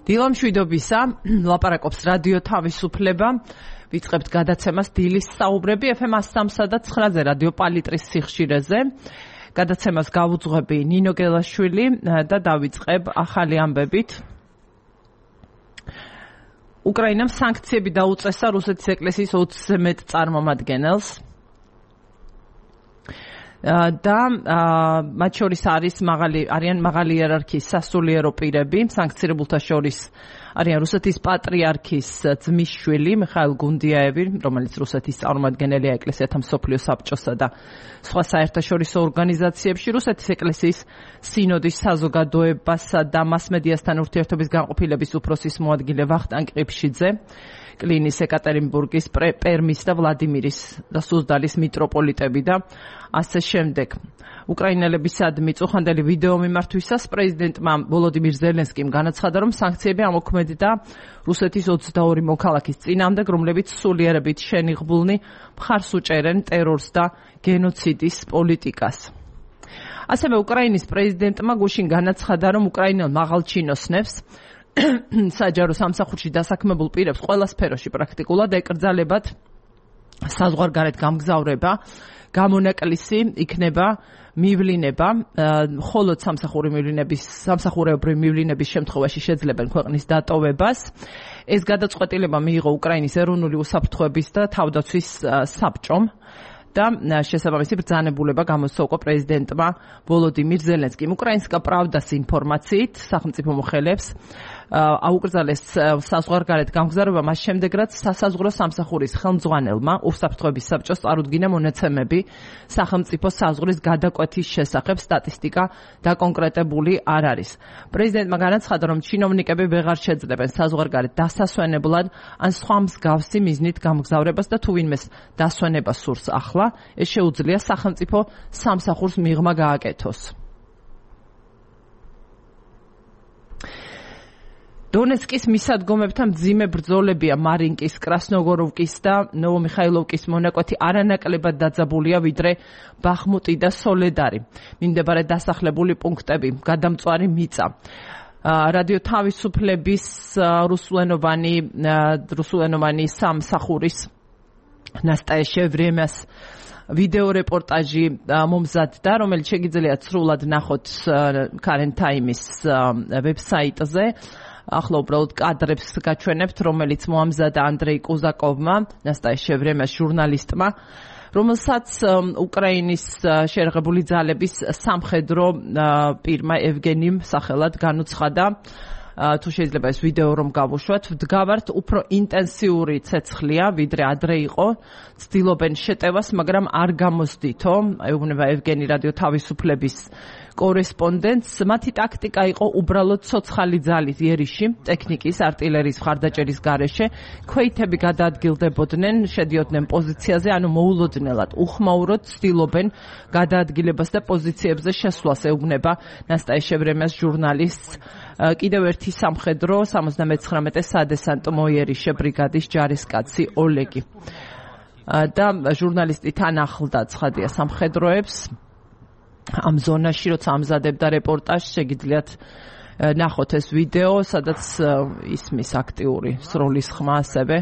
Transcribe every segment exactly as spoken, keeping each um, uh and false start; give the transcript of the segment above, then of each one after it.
დილამშვიდობისა, ლაპარაკობს რადიო თავისუფლება. ვიწყებთ გადაცემას დილის საუბრები ეფ ემ სამ და ცხრაზე რადიო პალიტრის სიხშირეზე. გადაცემას გავუძღვები ნინო გელაშვილი და დავიწყებ ახალი ამბებით. უკრაინამ სანქციები დაუწესა რუსეთის ეკლესიის ოცზე მეტ წარმომადგენელს. და მათ შორის არის მაღალი არიან მაღალი იერარქიის სასულიერო პირები, სანქცირებულთა შორის არიან რუსეთის პატრიარქის ძმისშვილი მიხაილ გუნდიაევი, რომელიც რუსეთის წარმომადგენელია ეკლესიათა მსოფლიო საბჭოსა და სხვა საერთაშორისო ორგანიზაციებში, რუსეთის ეკლესიის სინოდის საზოგადოებასა და მასმედიასთან ურთიერთობის განყოფილების უფროსის მოადგილე ვახტანგ ყიფშიძე, კლინის, ეკატერინბურგის, პერმის და ვლადიმირის და სუზდალის მიტროპოლიტები და ასე შემდეგ. უკრაინელებისადმი მიწუხანდელი ვიდეო მიმართვისას პრეზიდენტმა ვოლოდიმირ ზელენსკიმ განაცხადა, რომ სანქციები ამოქმედდა რუსეთის ოცდაორი მოქალაქის წინააღმდეგ, რომლებიც სულიერებით შენიღბულნი მხარს უჭერენ ტერორს და გენოციდის პოლიტიკას. ასევე უკრაინის პრეზიდენტმა გუშინ განაცხადა, რომ უკრაინელ მაღალჩინოსნებს საჯარო სამსახურში დასაქმებულ პირებს ყველა სფეროში პრაქტიკულად ეკრძალებათ საზღვარგარეთ გამგზავრება, გამონაკლისი იქნება მივლინება, მხოლოდ სამსახური მივლინების, სამსახურეობრივი მივლინების შემთხვევაში შეძლებენ ქვეყნის დატოვებას. ეს გადაწყვეტილება მიიღო უკრაინის ეროვნული უსაფრთხოების და თავდაცვის საბჭომ და შესაბამისი ბრძანებულება გამოსცა უკვე პრეზიდენტმა ვოლოდიმირ ზელენსკიმ. უკრაინსკა პრავდას ინფორმაციით სახელმწიფო მოხელეებს აუკრძალეს საზღვარგარეთ გამგზავრება მას შემდეგ, რაც სასაზღვრო სამსახურის ხელმძღვანელმა უსაფრთხოების საბჭოს წარუდგინა მონაცემები სახელმწიფო საზღვრის გადაკვეთის შესახებ. სტატისტიკა დაკონკრეტებული არ არის. პრეზიდენტმა განაცხადა, რომ ჩინოვნიკები ვეღარ შეძლებენ საზღვარგარეთ დასასვენებლად ან სხვა მსგავსი მიზნით გამგზავრებას და თუ ვინმეს დასვენება სურს ახლა, ეს შეუძლია სახელმწიფო სამსახურს მიღმა გააკეთოს. დონეცკის მისადგომებთან მძიმე ბრძოლებია მარინკის, კრასნოგოროვკის და ნოვომიხაილოვკის მონაკვეთი არანაკლებად დაძაბულია, ვიდრე ბახმუტი და სოლედარი. მიმდებარე დასახლებული პუნქტები, გადამწვარი მიწა. რადიო თავისუფლების რუსულენოვანი რუსულენოვანი სამსახურის ნასტაია შევრემას ვიდეო რეპორტაჟი მომზადდა, რომელიც შეგიძლიათ სრულად ნახოთ Current Times ვებსაიტზე. ახლა უბრალოდ კადრებს გაჩვენებთ, რომელიც მოამზადა ანდრეი კუზაკოვმა, ნასტაია შევრემას ჟურნალისტმა, რომელსაც უკრაინის შეერაღებული ძალების სამხედრო პირმა ევგენიმ სახელად განუცხადა. თუ შეიძლება ეს ვიდეო რომ გავუშვათ, ვდგავართ უფრო ინტენსიური ცეცხლია, ვიდრე ადრე იყო, ცდილობენ შეტევას, მაგრამ არ გამოსდითო, ეუბნება ევგენი რადიო თავისუფლების კორესპონდენტს. მათი ტაქტიკა იყო უბრალოდ ცოცხალი ძალის იერიში, ტექნიკის, არტილერიის მხარდაჭერის გარეშე, ქვეითები გადაადგილდებოდნენ, შედიოდნენ პოზიციაზე, ანუ მოულოდნელად უხმაუროდ ცდილობენ გადაადგილებას და პოზიციებზე შესვლას, ეუბნება ნასტაია შევრემას ჟურნალისტს. კიდევ ერთი სამხედრო სამოცდამეცხრამეტე სადესანტო მოიერიშე ბრიგადის ჯარისკაცი ოლეგი. და ჟურნალისტი თან ახლდა ცხადია სამხედროებს ამ ზონაში, როცა ამზადებდა რეპორტაჟს, შეგიძლიათ ნახოთ ეს ვიდეო, სადაც ისმის აქტიური სროლის ხმა ასევე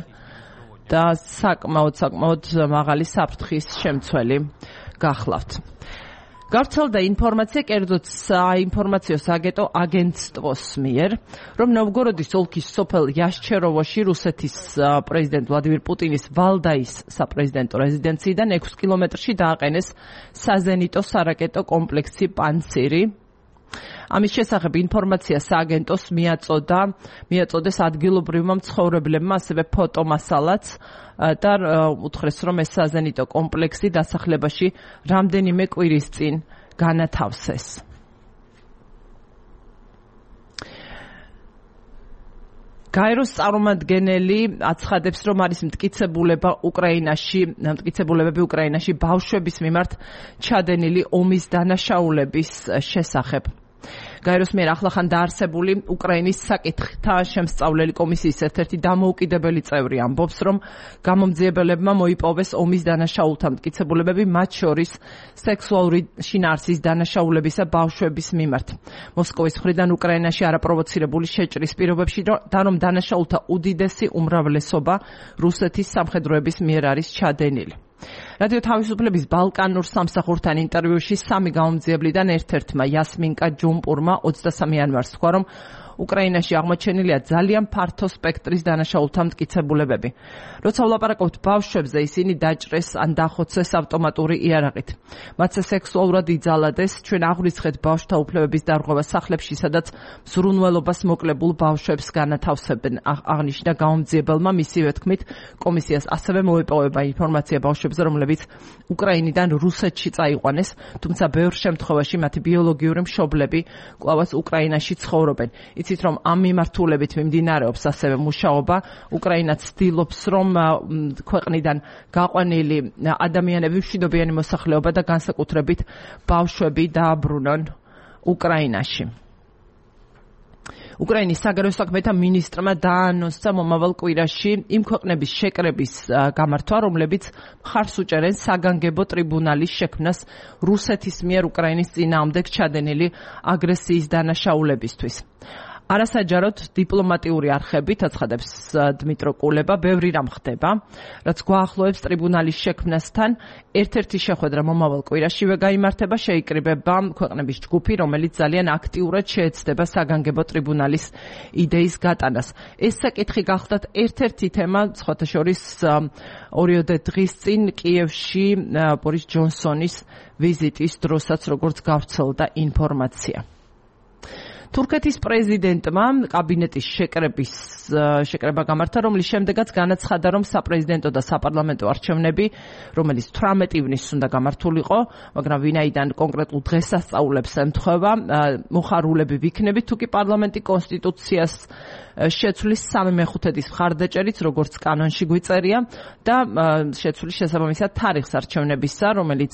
და საკმაოდ საკმაოდ მაღალი საფრთხის შემცველი გახლავთ. გავრცელდა ინფორმაცია, კერძოდ საინფორმაციო სააგენტო აგენტствоს მიერ, რომ ნოვგოროდის ოლქის სოფელ იაშჩეროვოში რუსეთის პრეზიდენტ ვლადიმირ პუტინის ვალდაის საპრეზიდენტო რეზიდენციიდან ექვს კილომეტრში დააყენეს საზენიტო სარაკეტო კომპლექსი პანცირი. ამის შესახებ ინფორმაცია სააგენტოს მიაწოდა, მიაწოდეს ადგილობრივმა მცხოვრებლებმა, ასევე ფოტომასალაც და უთხრეს, რომ ეს საზენიტო კომპლექსი დასახლებაში რამდენიმე კვირის წინ განათავსეს. გაეროს წარმომადგენელი აცხადებს, რომ არის მტკიცებულება უკრაინაში, მტკიცებულებები უკრაინაში ბავშვების მიმართ ჩადენილი ომის დანაშაულების შესახებ. გაეროს მიერ ახლახან დაარსებული უკრაინის საკითხთა შემსწავლელი კომისიის ერთ-ერთი დამოუკიდებელი წევრი ამბობს, რომ გამომძიებელებმა მოიპოვეს ომის დანაშაულთა მტკიცებულებები, მათ შორის სექსუალური შინაარსის დანაშაულებისა ბავშვების მიმართ. მოსკოვის მხრიდან უკრაინაში არაპროვოცირებული შეჭრის პირობებში და რომ დანაშაულთა უდიდესი უმრავლესობა რუსეთის სამხედროების მიერ არის ჩადენილი. რადიო თავისუფლების ბალკანურ სამსახურთან ინტერვიუში სამი გამომძიებლიდან ერთ-ერთმა იასმინკა ჯუმპურმა ოცდასამი იანვარს თქვა, რომ უკრაინაში აღმოჩენილია ძალიან ფართო სპექტრის დანაშაულთა მტკიცებულებები. როცა ვლაპარაკობთ ბავშვებზე, ისინი დაჭრეს ან დახოცეს ავტომატური იარაღით. მათზე სექსუალურად იძალადეს, ჩვენ აღვიცხეთ ბავშვთა უფლებების დარღვევა სახლებში, სადაც ზრუნველობას მოკლებულ ბავშვებს განათავსებენ. აღნიშნა გამომძიებელმა, მისივე თქმით, კომისიას ასევე მოეპოვება ინფორმაცია ბავშვებზე, რომლებიც უკრაინიდან რუსეთში წაიყვანეს, თუმცა ბევრ შემთხვევაში მათი ბიოლოგიური მშობლები კვლავაც უკრაინაში ცხოვრობენ. იცით, რომ ამ მიმართულებით მიმდინარეობს ასევე მუშაობა. უკრაინა ცდილობს, რომ ქვეყნიდან გაყვანილი ადამიანები, მშვიდობიანი მოსახლეობა და განსაკუთრებით ბავშვები დააბრუნონ უკრაინაში. უკრაინის საგარეო საქმეთა მინისტრმა დაანონსა მომავალ კვირაში იმ ქვეყნების შეკრების გამართვა, რომლებიც მხარს უჭერენ საგანგებო ტრიბუნალის შექმნას რუსეთის მიერ უკრაინის წინააღმდეგ ჩადენილი აგრესიის დანაშაულებისთვის. არასაჯაროდ დიპლომატიური არხებით, აცხადებს დმიტრო კულება, ბევრი რამ ხდება, რაც გვაახლოებს ტრიბუნალის შექმნასთან. ერთ-ერთი შეხვედრა მომავალ კვირაშივე გაიმართება, შეიკრიბება ქვეყნების ჯგუფი, რომელიც ძალიან აქტიურად შეეცდება საგანგებო ტრიბუნალის იდეის გატანას. ეს საკითხი გახლდათ ერთ-ერთი თემა, სხვათა შორის ორიოდე დღის წინ კიევში ბორის ჯონსონის ვიზიტის დროსაც, როგორც გავრცელდა ინფორმაცია. თურქეთის პრეზიდენტმა კაბინეტის შეკრების შეკრება გამართა, რომლის შემდეგაც განაცხადა, რომ საპრეზიდენტო და საპარლამენტო არჩევნები, რომელიც თვრამეტი ივნისს უნდა გამართულიყო, მაგრამ ვინაიდან კონკრეტულ დღესასწაულებს ემთხვევა, მოხარულები ვიქნებით, თუ კი პარლამენტი კონსტიტუციას შეცვლის სამი მეხუთედის მხარდაჭერით, როგორც კანონში გვიწერია, და შეცვლის შესაბამისად თარიღს არჩევნებისა, რომელიც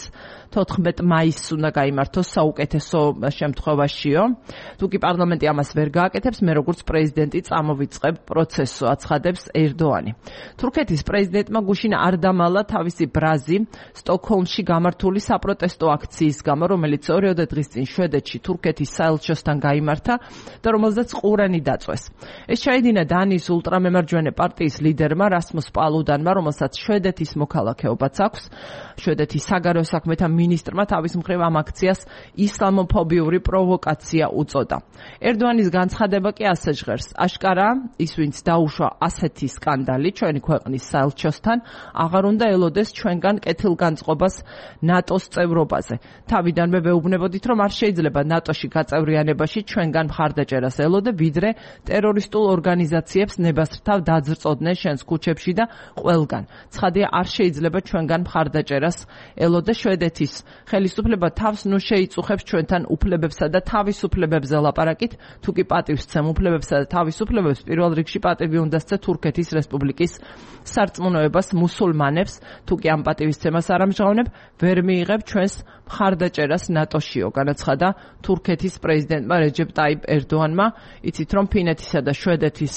თოთხმეტ მაისს უნდა გაიმართოს საუკეთესო შემთხვევაშიო. თუ კი პარლამენტი ამას ვერ გააკეთებს, მე როგორც პრეზიდენტი წამოვიწყებ პროცესს, აცხადებს ერდოანი. თურქეთის პრეზიდენტმა გუშინ არ დამალა თავისი ბრაზი სტოკჰოლმში გამართული საპროტესტო აქციის გამო, რომელიც ორიოდე დღის წინ შვედეთში თურქეთის საელჩოსთან გაიმართა და რომელზეც ყურანი დაწვეს. ეს ჩაიდინა დანიის ულტრამემარჯვენე პარტიის ლიდერმა რასმუს პალუდანმა, რომელსაც შვედეთის მოქალაქეობაც აქვს. შვედეთის საგარეო საქმეთა მინისტრმა თავის მხრივ ამ აქციას ისლამოფობიური პროვოკაცია უწოდა. ერდოანის განცხადება კი ასე ჟღერს. აშკარა, ის ვინც დაუშვა ასეთი სკანდალი ჩვენი ქვეყნის საელჩოსთან, აღარ უნდა ელოდეს ჩვენგან კეთილგანწყობას ნატოს წევრობაზე. თავიდანვე ვეუბნებოდით, რომ არ შეიძლება ნატოში გაწევრიანებაში ჩვენგან მხარდაჭერას ელოდე, ვიდრე ტერორისტულ ორგანიზაციებს ნებასრთავ დაძრწოდნენ შენს ქუჩებში და ყველგან. ცხადია, არ შეიძლება ჩვენგან მხარდაჭერას ელოდე. შვედეთის ხელისუფლება თავს ნუ შეიწუხებს ჩვენთან უფლებებსა და თავისუფლებებზე ლაპარაკით, თუ კი პატივსცემ უფლებებსა და თავისუფლებებს, პირველ რიგში პატივი უნდა სცე თურქეთის რესპუბლიკის სარწმუნოებას მუსულმანებს, თუ კი ამ პატივისცემას არ ამჟღავნებ, ვერ მიიღებ ჩვენს მხარდაჭერას ნატოშიო, განაცხადა თურქეთის პრეზიდენტმა რეჯეპ ტაიპ ერდოანმა. იცით, რომ ფინეთისა და შვედეთის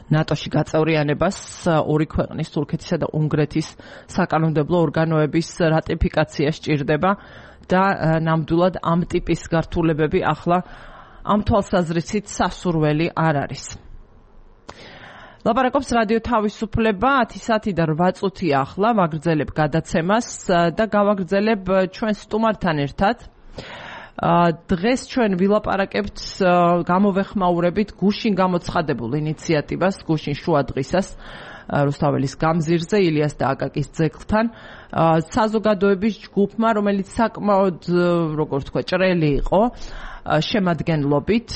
ნატოში გაწევრიანებას ორი ქვეყნის, თურქეთისა და უნგრეთის საკანონმდებლო ორგანოების რატიფიკაცია სჭირდება და ნამდვილად ამ ტიპის გართულებები ახლა ამ თვალსაზრისით სასურველი არ არის. ლაპარაკობს რადიო თავისუფლება, ათი საათი და რვა წუთი ახლა ვაგრძელებ გადაცემას და გავაგრძელებ ჩვენ სტუმართან ერთად. დღეს ჩვენ ვილაპარაკებთ, გამოვეხმაურებით გუშინ გამოცხადებულ ინიციატივას, გუშინ შუა დღისას რუსთაველის გამზირზე, ილიას და აკაკის ძეგლთან, საზოგადოების ჯგუფმა, რომელიც საკმაოდ, როგორ თქვა, ჭრელი იყო, შემადგენლობით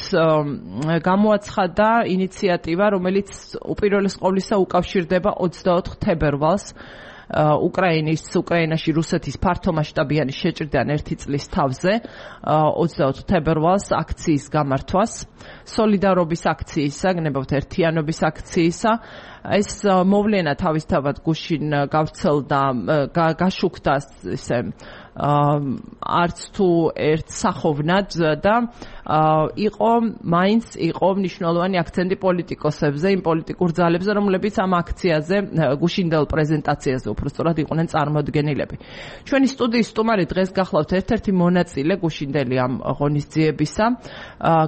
გამოაცხადა ინიციატივა, რომელიც უპირველეს ყოვლისა უკავშირდება ოცდაოთხ თებერვალს, უკრაინის უკრაინაში რუსეთის ფართომასშტაბიანი შეჭრიდან ერთი წლის თავზე, ოცდაოთხ თებერვალს აქციის გამართვას, სოლიდარობის აქციისა, გნებავთ ერთიანობის აქციისა, ეს მოვლენა თავისთავად გუშინ გავრცელდა, გაშუქდა ისე არც თუ ერთ სახოვნად და იყო მაინც იყო მნიშვნელოვანი აქცენტი პოლიტიკოსებზე, იმ პოლიტიკურ ძალებზე, რომლებიც ამ აქციაზე გუშინდელ პრეზენტაციაზე უბრალოდ იყვნენ წარმოდგენილები. ჩვენი სტუდიის სტუმარი დღეს გახლავთ ერთ-ერთი მონაწილე გუშინდელი ამ ღონისძიებისა,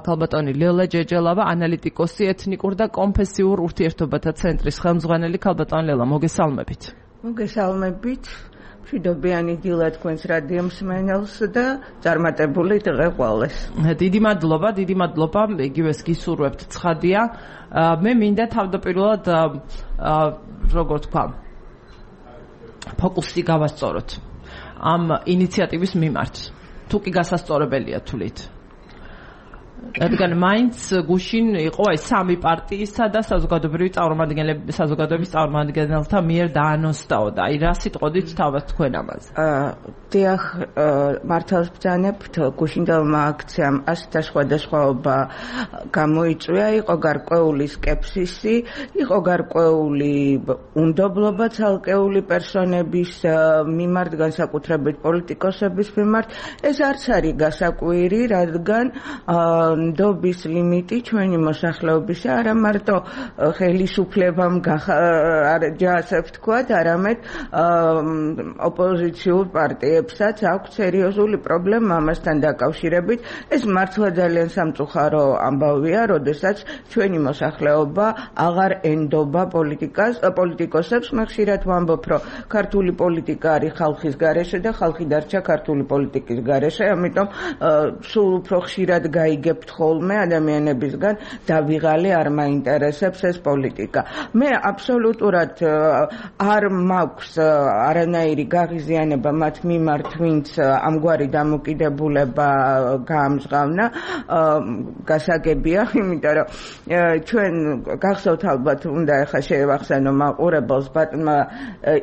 ქალბატონი ლელა ჯეჯელავა, ანალიტიკოსი, ეთნიკურ და კონფესიურ ურთიერთობათა ცენტრის ხელმძღვანელი. ქალბატონი ლელა, მოგესალმებით. მოგესალმებით. მშვიდობიანი დილა თქვენს რადიო მსმენელს და წარმატებული დღე ყველას. დიდი მადლობა, დიდი მადლობა, იგივეს გისურვებთ ცხადია. მე მინდა თავდაპირველად როგორ თქვა, ფოკუსი გავასწოროთ ამ ინიციატივის მიმართ. თუ კი გასასწორებელია თვლით. რადგან მაინც გუშინ იყო აი სამი პარტიისა და საზოგადოებრივი წარმომადგენლები საზოგადოების წარმომადგენელთა მიერ დაანონსდაო და აი რა სიტყვით თავად თქვენ ამაზე? დიახ, მართალს ბრძანებთ, გუშინდელმა აქციამ ასეთ სხვადასხვაობა გამოიწვია, იყო გარკვეული სკეპსისი, იყო გარკვეული უნდობლობა ცალკეული პერსონების მიმართ, განსაკუთრებით პოლიტიკოსების მიმართ. ეს არც არის გასაკვირი, რადგან ნდობის ლიმიტი ჩვენი მოსახლეობისა არა მარტო ხელისუფლებამ ჯასებს თქვათ, არამედ ოპოზიციურ პარტიებსაც აქვს სერიოზული პრობლემა ამასთან დაკავშირებით. ეს მართლა ძალიან სამწუხარო ამბავია, როდესაც ჩვენი მოსახლეობა აღარ ენდობა პოლიტიკას, პოლიტიკოსებს. მე ხშირად ვამბობ, რომ ქართული პოლიტიკა არის ხალხის გარეშე და ხალხი დარჩა ქართული პოლიტიკის გარეშე, ამიტომ სულ უფრო ხშირად გაიგებთ ხოლმე ადამიანებისგან და ვიღალი არ მაინტერესებს ეს პოლიტიკა. მე აბსოლუტურად არ მაქვს არანაირი გაღიზიანება მათ მიმართ, ვინც ამგვარი დამოკიდებულება გაამჟღავნა. გასაგებია, იმიტომ რომ ჩვენ გახსოვთ ალბათ, უნდა ახლა შევახსენო მაყურებელს ბატონმა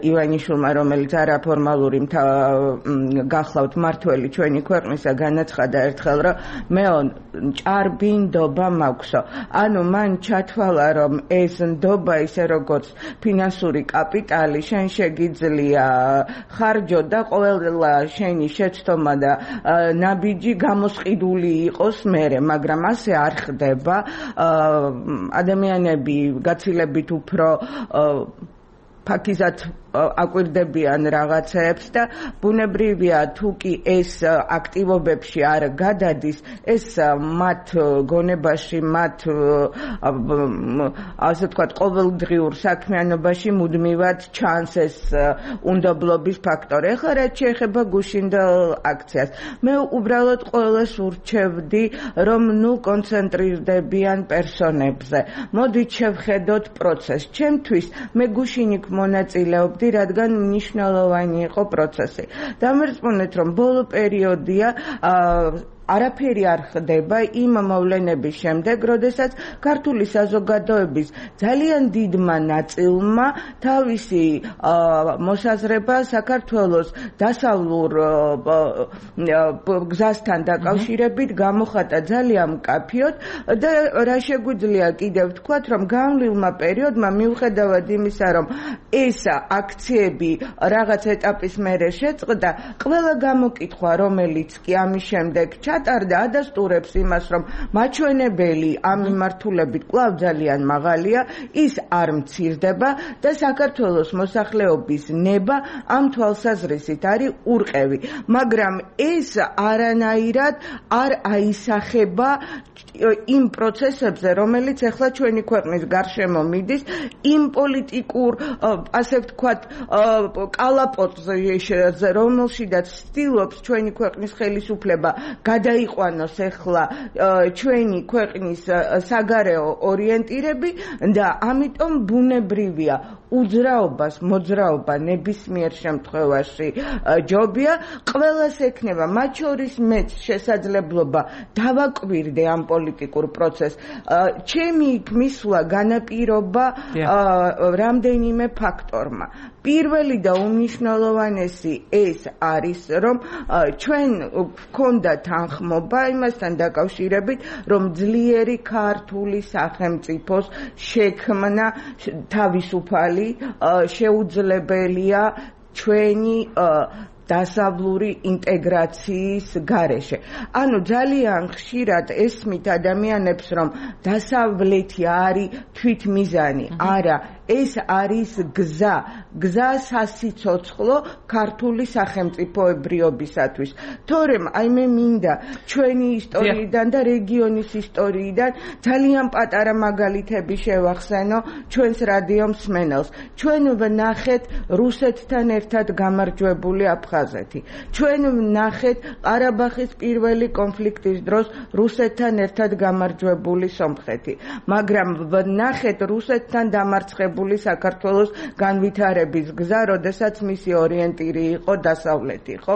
ივანიშვილმა, რომელიც არაფორმალური გახლავთ მართველი ჩვენი ქვეყნისა, განაცხადა ერთხელ, რომ მეო ჭარბი ნდობა მაქვსო. ანუ მან ჩათვალა, რომ ეს ნდობა ისე როგორც ფინანსური კაპიტალი შენ შეგიძლია ხარჯო და ყველა შენი შეცდომა და ნაბიჯი გამოსყიდული იყოს მერე, მაგრამ ასე არ ხდება. ადამიანები გაცილებით უფრო ფაქიზად აკვირდებიან რაღაცეებს და ბუნებრივია, თუ კი ეს აქტივობებში არ გადადის, ეს მათ გონებაში, მათ ასე ვთქვათ, ყოველდღიურ საქმიანობაში მუდმივად ჩანს ეს უნდობლობის ფაქტორი. ახლა რაც შეეხება გუშინდელ აქციას, მე უბრალოდ ყველას ურჩევდი, რომ ნუ კონცენტრირდებიან პერსონებზე. მოდით შევხედოთ პროცესს. ჩემთვის მე გუშინ იქ მონაწილეობ რადგან მნიშვნელოვანი იყო პროცესი. დამერწმუნეთ, რომ ბოლო პერიოდია არაფერი არ ხდება იმ მოვლენების შემდეგ, როდესაც ქართული საზოგადოების ძალიან დიდმა ნაწილმა თავისი მოსაზრება საქართველოს დასავლურ გზასთან დაკავშირებით გამოხატა ძალიან მკაფიოდ და რა შეგვიძლია კიდევ ვთქვათ, რომ განვლილმა პერიოდმა მიუხედავად იმისა, რომ ეს აქციები რაღაც ეტაპის მერე შეწყდა, ყველა გამოკითხვა, რომელიც კი ამის შემდეგ ჩატარდა, ადასტურებს იმას, რომ მაჩვენებელი ამ მიმართულებით კვლავ ძალიან მაღალია, ის არ მცირდება და საქართველოს მოსახლეობის ნება ამ თვალსაზრისით არის ურყევი. მაგრამ ეს არანაირად არ აისახება იმ პროცესებზე, რომელიც ახლა ჩვენი ქვეყნის გარშემო მიდის, იმ პოლიტიკურ, ასე ვთქვათ, კალაპოტზე, რომელშიდაც ცდილობს ჩვენი ქვეყნის ხელისუფლება გადაიყვანოს ახლა ჩვენი ქვეყნის საგარეო ორიენტირები და ამიტომ ბუნებრივია უძრაობას მოძრაობა ნებისმიერ შემთხვევაში ჯობია, ყველას ექნება, მათ შორის მეც შესაძლებლობა დავაკვირდე ამ პოლიტიკურ პროცესს. ჩემი იქ მისვლა განაპირობა რამდენიმე ფაქტორმა. პირველი და უმნიშვნელოვანესი ეს არის, რომ ჩვენ გვქონდა თანხმობა იმასთან დაკავშირებით, რომ ძლიერი ქართული სახელმწიფოს შექმნა თავისუფალი შეუძლებელია ჩვენი დასავლური ინტეგრაციის გარეშე. ანუ ძალიან ხშირად ესმით ადამიანებს, რომ დასავლეთი არის თვითმიზანი, არა, ეს არის გზა, გზა სასიცოცხლო ქართული სახელმწიფოებრიობისათვის. თორემ აი მე მინდა ჩვენი ისტორიიდან და რეგიონის ისტორიიდან ძალიან პატარა მაგალითები შევახსენო ჩვენს რადიო მსმენელს. ჩვენ ვნახეთ რუსეთთან ერთად გამარჯვებული აფხაზეთი. ჩვენ ვნახეთ ყარაბაღის პირველი კონფლიქტის დროს რუსეთთან ერთად გამარჯვებული სომხეთი. მაგრამ ვნახეთ რუსეთთან დამარცხებული საქართველოს განვითარების გზა, როდესაც მისი ორიენტირი იყო დასავლეთი, ხო?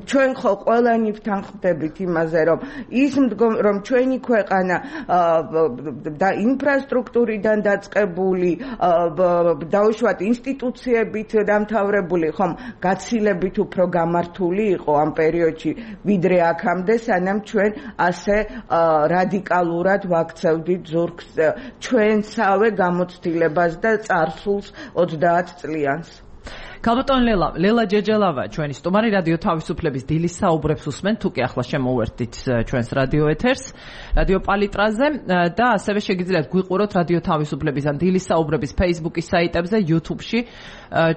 ჩვენ ხო ყველანი ვთანხმდებით იმაზე, რომ ის რომ ჩვენი ქვეყანა და ინფრასტრუქტურიდან დაწყებული, დაუშვათ ინსტიტუციებით დამთავრებული, ხომ, გაცილებით უფრო გამართული იყო ამ პერიოდში, ვიდრე აქამდე, სანამ ჩვენ ასე რადიკალურად ვაქცევდით ზურგს ჩვენსავე გამოცდილებას და წარსულს ოცდაათ წლიანს. ქალბატონ ლელა, ლელა ჯეჯელავა, ჩვენი სტუმარი რადიო თავისუფლების დილის საუბრებს უსმენ, თუ კი ახლა შემოვერთით ჩვენს რადიო ეთერს, რადიო პალიტრაზე და ასევე შეგიძლიათ გვიყუროთ რადიო თავისუფლების ან დილის საუბრების Facebook-ის საიტებზე, YouTube-ში,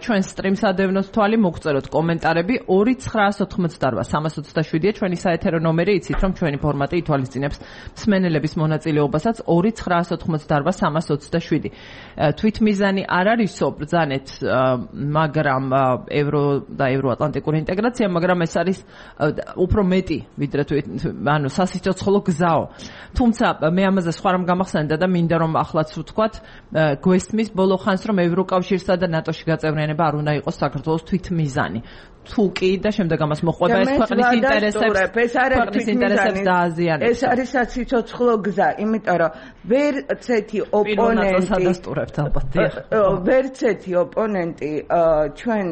ჩვენ სტრიმს ადევნოთ თვალი, მოგწეროთ კომენტარები. ორი ცხრაას ოთხმოცდარვა სამას ოცდაშვიდია ჩვენი საეთერო ნომერი, იცით რომ ჩვენი ფორმატი ითვალისწინებს მსმენელების მონაწილეობასაც. ორი ცხრაას ოთხმოცდარვა სამას ოცდაშვიდი. თვითმიზანი არ არისო ბრძანეთ, მაგრამ ევრო და ევროატლანტიკური ინტეგრაცია, მაგრამ ეს არის უფრო მეტი, ვიდრე ანუ სასიცოცხლო გზაო. თუმცა მე ამაზე სხვა რამ გამახსენდა და მინდა რომ ახლაც ვთქვათ, გვესმის ბოლო ხანს, რომ ევროკავშირსა და ნატოში გაწევრიანება არ უნდა იყოს საქართველოს თვითმიზანი. თუ კი და შემდეგ ამას მოყვება ეს ქვეყნის ინტერესებს, ქვეყნის ინტერესებს დააზიანებს. ეს არის სასიცოცხლო გზა, იმიტომ რომ ვერცეთი ოპონენტი ვერცეთი ოპონენტი ჩვენ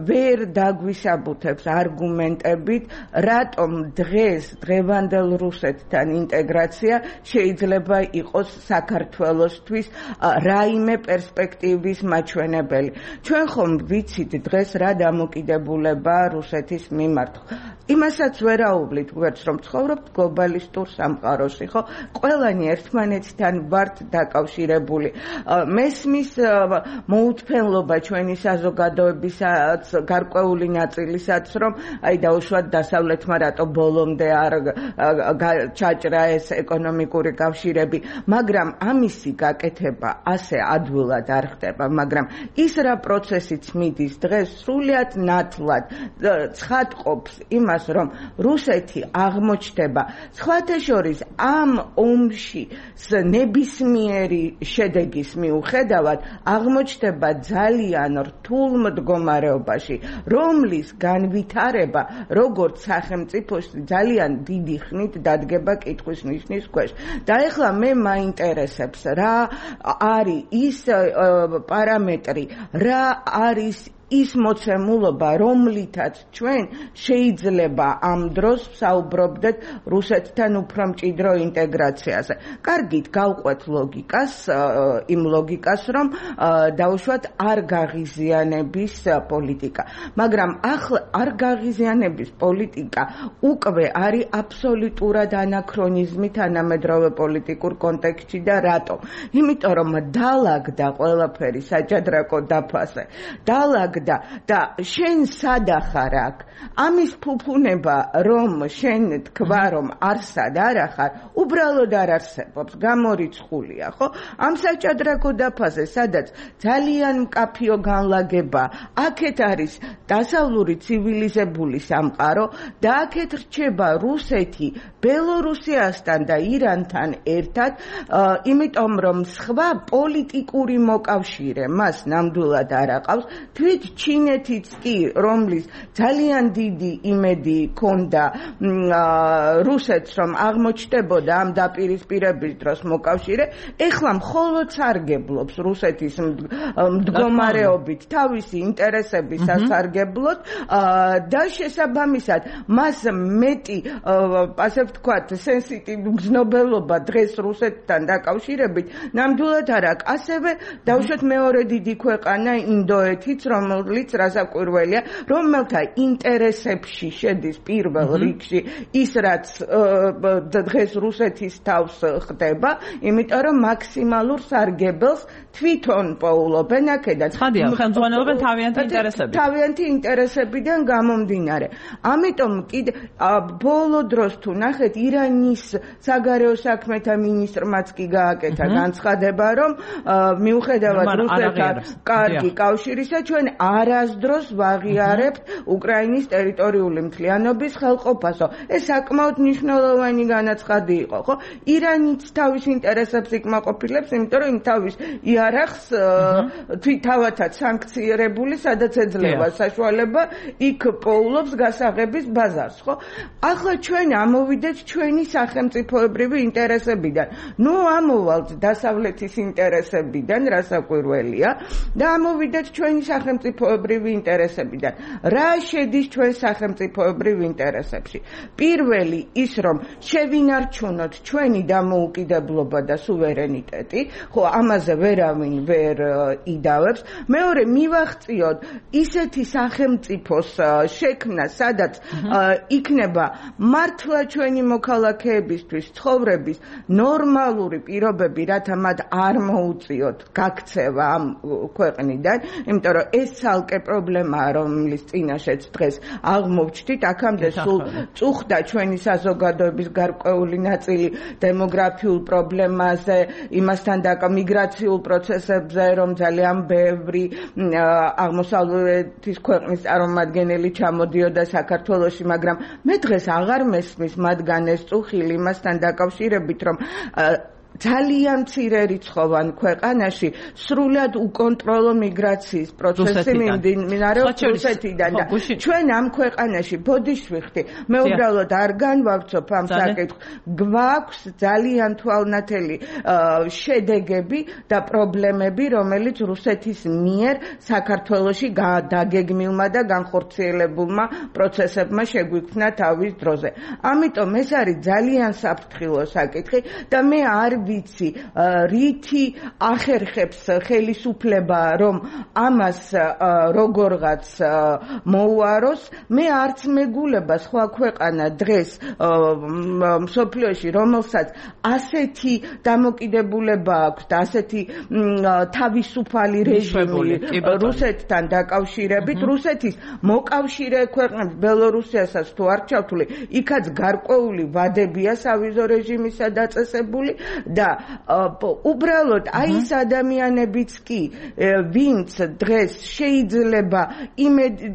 ვერ დაგვისაბუთებს არგუმენტებით, რატომ დღეს დღევანდელ რუსეთთან ინტეგრაცია შეიძლება იყოს საქართველოსთვის რაიმე პერსპექტივის მაჩვენებელი. ჩვენ ხომ ვიცით დღეს რა დამოკიდებულება რუსეთის მიმართ. იმასაც ვერაუვლით გვერდს, რომ ცხოვრობთ გლობალისტურ სამყაროში, ხო? ყველანი ერთმანეთთან ვართ დაკავშირებული. მესმის მოუთფენლობა ჩვენი საზოგადოებისაც, გარკვეული ნაწილისაც, რომ აი დაუშვათ დასავლეთმა რატო ბოლომდე არ ჩაჭრა ეს ეკონომიკური კავშირები, მაგრამ ამისი გაკეთება ასე ადვილად არ ხდება, მაგრამ ის რა პროცესიც მიდის დღეს სრულიად ნათლად ცხადყოფს იმას, რომ რუსეთი აღმოჩნდება სხვათა შორის ამ ომში ნებისმიერი შედეგის მიუხედავად აღმოჩნდება ძალიან რთულ მდგომარეობაში, რომლის განვითარება როგორც სახელმწიფოში ძალიან დიდი ხნით დადგება კითხვის ნიშნის ქვეშ. და ეხლა მე მაინტერესებს რა არის ის პარამეტრი, რა არის ის მოცემულობა, რომლითაც ჩვენ შეიძლება ამ დროს საუბრობდეთ რუსეთთან უფრო მჭიდრო ინტეგრაციაზე. კარგით, გავყვეთ ლოგიკას, იმ ლოგიკას, რომ დაუშვათ არ გაღიზიანების პოლიტიკა. მაგრამ ახლა არ გაღიზიანების პოლიტიკა უკვე არის აბსოლუტურად ანაქრონიზმი თანამედროვე პოლიტიკურ კონტექსტში და რატომ? იმიტომ რომ დაალაგდა ყველაფერი საჭადრაკო დაფაზე. დაალაგდა და შენ სადახარ აქ ამის ფუფუნება რომ შენ თქვა რომ არსად არ ახარ უბრალოდ არ არსებობს გამორიცხულია ხო ამ საჭადრაკო დაფაზე სადაც ძალიან მკაფიო განლაგება აქეთ არის დასავლური ცივილიზებული სამყარო და აქეთ რჩება რუსეთი ბელორუსიასთან და ირანთან ერთად, იმიტომ რომ სხვა პოლიტიკური მოკავშირე მას ნამდვილად არ აყავს. თვით ჩინეთიც კი, რომლის ძალიან დიდი იმედი ჰქონდა რუსეთს, რომ აღმოჩნდებოდა ამ დაპირისპირების დროს მოკავშირე, ეხლა მხოლოდ სარგებლობს რუსეთის მდგომარეობით თავისი ინტერესების სასარგებლოდ და შესაბამისად მას მეტი, ასე ვთქვათ, სენსიტივი გზნობელობა დღეს რუსეთთან დაკავშირებით ნამდვილად არ აქვს. ასევე დავუშვათ მეორე დიდი ქვეყანა ინდოეთიც, რომელიც რასაკვირველია, რომელთა ინტერესებში შედის პირველ რიგში ის, რაც დღეს რუსეთის თავს ხდება, იმიტომ რომ მაქსიმალურ სარგებელს თვითონ პოულობენ აქედან. ხადია, ხელმძღვანელობენ თავიანთი ინტერესებით. თავიანთი ინტერესებიდან გამომდინარე. ამიტომ კიდე ბოლო დროს თუ ნახეთ, ირანის საგარეო საქმეთა მინისტრმაც კი გააკეთა განცხადება, რომ მიუხედავად რუსეთთან კარგი კავშირისა, ჩვენ არასდროს ვაღიარებთ უკრაინის ტერიტორიული მთლიანობის ხელყოფასო. ეს საკმაოდ მნიშვნელოვანი განაცხადი იყო, ხო? ირანიც თავის ინტერესებს იკმაყოფილებს, იმიტომ რომ იმ თავის იარაღს თავათაც სანქციონირებული, სადაც ეძლევა საშუალება, იქ პოულობს გასაღების ბაზარს, ხო? ახლა ჩვენ ამოვიდეთ ჩვენი სახელმწიფოებრივი ინტერესებიდან. ნუ ამოვალთ დასავლეთის ინტერესებიდან, რასაკვირველია, და ამოვიდეთ ჩვენი სახელმწიფოებრივი ინტერესებიდან. რა შედის ჩვენ სახელმწიფოებრივ ინტერესებში? პირველი ის, რომ შევინარჩუნოთ ჩვენი დამოუკიდებლობა და სუვერენიტეტი, ხო, ამაზე ვერავინ ვერ იდავებს. მეორე, მივახციოთ ისეთი სახელმწიფოს შექმნა, სადაც იქნება მართლა ჩვენი მოქალაქეებისთვის ცხოვრების ნორმალური პირობები, რათა მათ არ მოუწიოთ გაქცევა ამ ქვეყნიდან, იმიტომ რომ ეს ცალკე პრობლემაა, რომლის წინაშეც დღეს აღმოვჩნდით. აქამდე სულ წუხდა ჩვენი საზოგადოების გარკვეული ნაწილი დემოგრაფიულ პრობლემაზე, იმასთან და მიგრაციულ პროცესებზე, რომ ძალიან ბევრი აღმოსავლეთის ქვეყნის წარმომადგენელი ჩამოდიოდა საქართველოში, მაგრამ მე დღეს აღარ მესმის მათგან ეს წუხილი იმასთან დაკავშირებით, რომ ძალიან მცირე რიცხოვან ქვეყანაში სრულად უკონტროლო მიგრაციის პროცესი მიმდინარეობს რუსეთიდან და ჩვენ ამ ქვეყანაში ბოდიშვიხდი, მე უბრალოდ არ განვავრცობ ამ საკითხს, გვაქვს ძალიან თვალნათელი შედეგები და პრობლემები, რომელიც რუსეთის მიერ საქართველოში დაგეგმილმა და განხორციელებულმა პროცესებმა შეგვიქმნა თავის დროზე. ამიტომ ეს არის ძალიან საფრთხილო საკითხი და მე არ ვიცი, რითი ახერხებს ხელისუფლება, რომ ამას როგორღაც მოუაროს. მე არც მეგულება სხვა ქვეყანა დღეს მსოფლიოში, რომელსაც ასეთი დამოკიდებულება აქვს და ასეთი თავისუფალი რეჟიმი რუსეთთან დაკავშირებით. რუსეთის მოკავშირე ქვეყნებს, ბელორუსიასაც თუ არ ჩავთვლი, იქაც გარკვეული ვადებია სავიზო რეჟიმისა დაწესებული. და უბრალოდ აი ეს ადამიანებიც კი, ვინც დღეს შეიძლება იმედი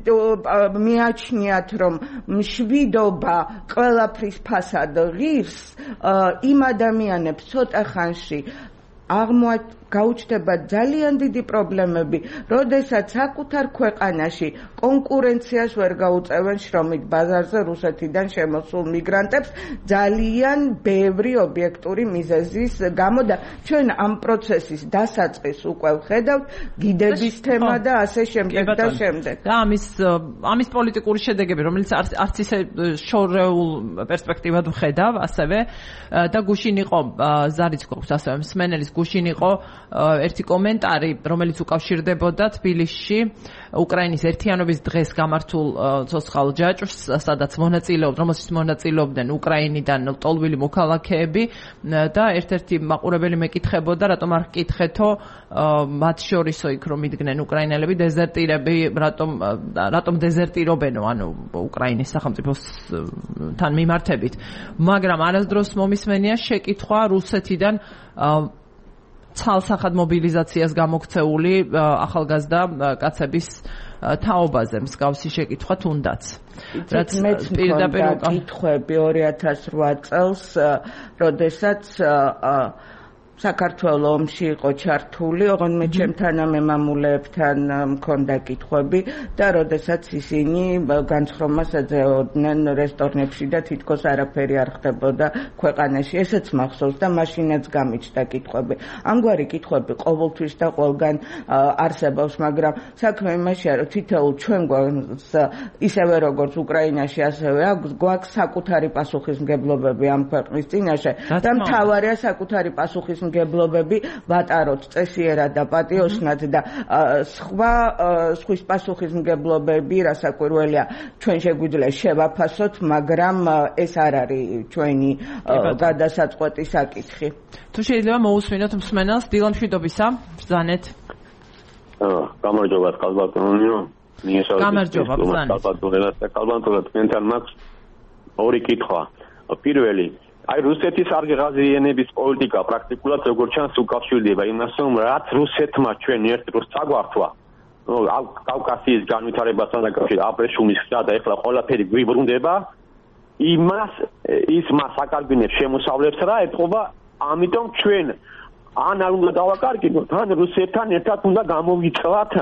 მიაჩნიათ, რომ მშვიდობა ყველაფრის ფასად ღირს, იმ ადამიანებს ცოტა ხანში აღმოაჩ გაუჩნდება ძალიან დიდი პრობლემები, როდესაც საკუთარ ქვეყანაში კონკურენციას ვერ გაუწევენ შრომით ბაზარზე რუსეთიდან შემოსულ მიგრანტებს ძალიან ბევრი ობიექტური მიზეზის გამო და ჩვენ ამ პროცესის დასაწყისს უკვე ვხედავთ, გიდების თემა და ასე შემდეგ და შემდეგ. და ამის ამის პოლიტიკური შედეგები, რომელიც არც ისე შორეულ პერსპექტივად ვხედავ, ასევე და გუშინ იყო ზარიც გვაქვს ასევე მსმენელის გუშინ იყო ერთი კომენტარი, რომელიც უკავშირდებოდა თბილისში უკრაინის ერთიანობის დღეს გამართულ ცოცხალ ჯაჭვს, სადაც მონაწილეობდნენ, რომელშიც მონაწილეობდნენ უკრაინიდან ტოლვილი მოქალაქეები და ერთ-ერთი მაყურებელი მეკითხებოდა, რატომ არ გკითხეთო მათ შორისო იქ რომ იდგნენ უკრაინელები, დეზერტირები, რატომ რატომ დეზერტირობენო, ანუ უკრაინის სახელმწიფოსთან მიმართებით. მაგრამ არასდროს მომისმენია შეკითხვა რუსეთიდან ცალსახად მობილიზაციას გამოქცეული ახალგაზრდა კაცების თაობაზე მსგავსი შეკითხვა თუნდაც. რაც მეც მქონდა კითხვები ორი ათას რვა წელს, როდესაც საქართველოს ომში იყო ჩართული, ოღონდ მე ჩემთან ამემამულეებთან მქონდა კითხვები და როდესაც ისინი განცხრომას ეძებდნენ რესტორნებში და თითქოს არაფერი არ ხდებოდა ქვეყანაში, ესეც მახსოვს და მაშინაც გამიჩნდა კითხვები. ამგვარი კითხვები ყოველთვის და ყველგან არსებობს, მაგრამ საქმე იმაშია, რომ თითოეულ ჩვენ გვაქვს ისევე როგორც უკრაინაში, ასევე გვაქვს საკუთარი პასუხისმგებლობები ამ ქვეყნის წინაშე და მთავარია საკუთარი პასუხის მგებლობები ვატაროთ წესიერად და პატიოსნად და სხვა სხვის პასუხისმგებლობები რასაკვირველია ჩვენ შეგვიძლია შევაფასოთ, მაგრამ ეს არ არის ჩვენი გადასაწყვეტი საკითხი. თუ შეიძლება მოусმინოთ მსმენელს, დილა მშვიდობისა, ბრძანეთ. გამარჯობა, კალბატონიო. გამარჯობა, ბრძანეთ. კალბატონიო, კალბატონიო, თქვენთან მაქვს ორი კითხვა. პირველი, აი რუსეთის არღაზიანების პოლიტიკა პრაქტიკულად როგორც ჩანს უკავშირდება იმას, რომ რაც რუსეთმა ჩვენ ერთ დროს წაგვართვა, კავკასიის განვითარებასთან დაკავშირებით აბრეშუმის ხდა და ეხლა ყველაფერი გვიბრუნდება, იმას ის მას აკარგვინებს შემოსავლებს რა ეთყობა, ამიტომ ჩვენ ან არ უნდა დავაკარგინოთ, ან რუსეთთან ერთად უნდა გამოვიწყოთ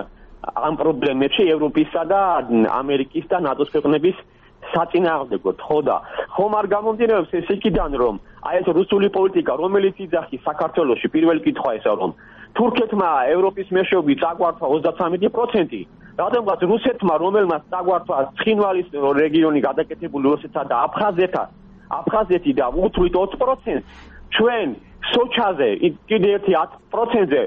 ამ პრობლემებში ევროპისა და ამერიკის და ნატოს ქვეყნების საწინააღმდეგოდ, ხო და ხომ არ გამომდინარეობს ეს იქიდან, რომ აი ეს რუსული პოლიტიკა, რომელიც იძახის საქართველოში, პირველი კითხვა ესა, რომ თურქეთმა ევროპის მეშვეობით წაგვართვა ოცდათრამეტი პროცენტი, რადგანაც რუსეთმა, რომელმაც წაგვართვა ცხინვალის რეგიონი გადაკეთებული რუსეთსა და აფხაზეთთან, აფხაზეთი და უთვლით ოცი პროცენტს, ჩვენ სოჩაზე კიდე ერთი ათი პროცენტზე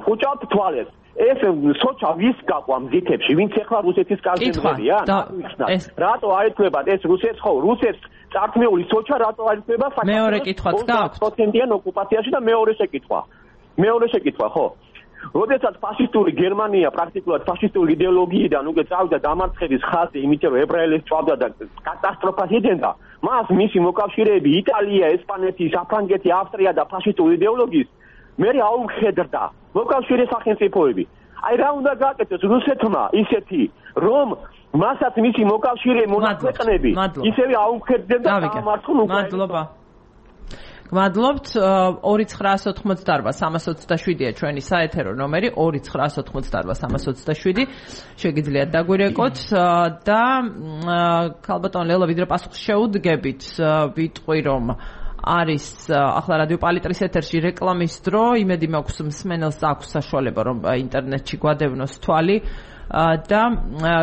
ხუჭავთ თვალებს. ეს სოჩა ვის გაყვა მზითებში, ვინც ეხლა რუსეთის კარგებია? რატო აერთვებათ ეს რუსეთს ხო? რუსეთს წართმეული სოჩა რატო აერთვება საქართველოს? მეორე კითხვაც გაქვთ. პროცენტიან ოკუპაციაში და მეორე შეკითხვა. მეორე შეკითხვა, ხო? როდესაც ფაშისტური გერმანია პრაქტიკულად ფაშისტური იდეოლოგიიდან უკვე წავიდა დამარცხების ხაზზე, იმიტომ რომ ებრაელებს წავდა და კატასტროფას იძენდა, მას მისი მოკავშირეები იტალია, ესპანეთი, საფრანგეთი, ავსტრია და ფაშისტური იდეოლოგიის მე აუხედრდა მოკავშირე სახელმწიფოები. აი რა უნდა გააკეთოს რუსეთმა ისეთი, რომ მასაც მისი მოკავშირე მონაკვეთნები ისევე აუხედდნენ და გამართონ უკრაინას. მადლობა. გმადლობთ. ორი ცხრაასი ოთხმოცდაარბა სამას ოცდაშვიდია ჩვენი საეთერო ნომერი ორი ცხრაასი ოთხმოცდაარბა სამას ოცდაშვიდი. შეგიძლიათ დაგვირეკოთ და ქალბატონ ლელა ვიდრე პასუხს შეუდგებით, ვიტყვი რომ არის ახლა რადიო პალიტრის ეთერში რეკლამის დრო, იმედი მაქვს მსმენელს აქვს საშუალება რომ ინტერნეტში გვადევნოს თვალი და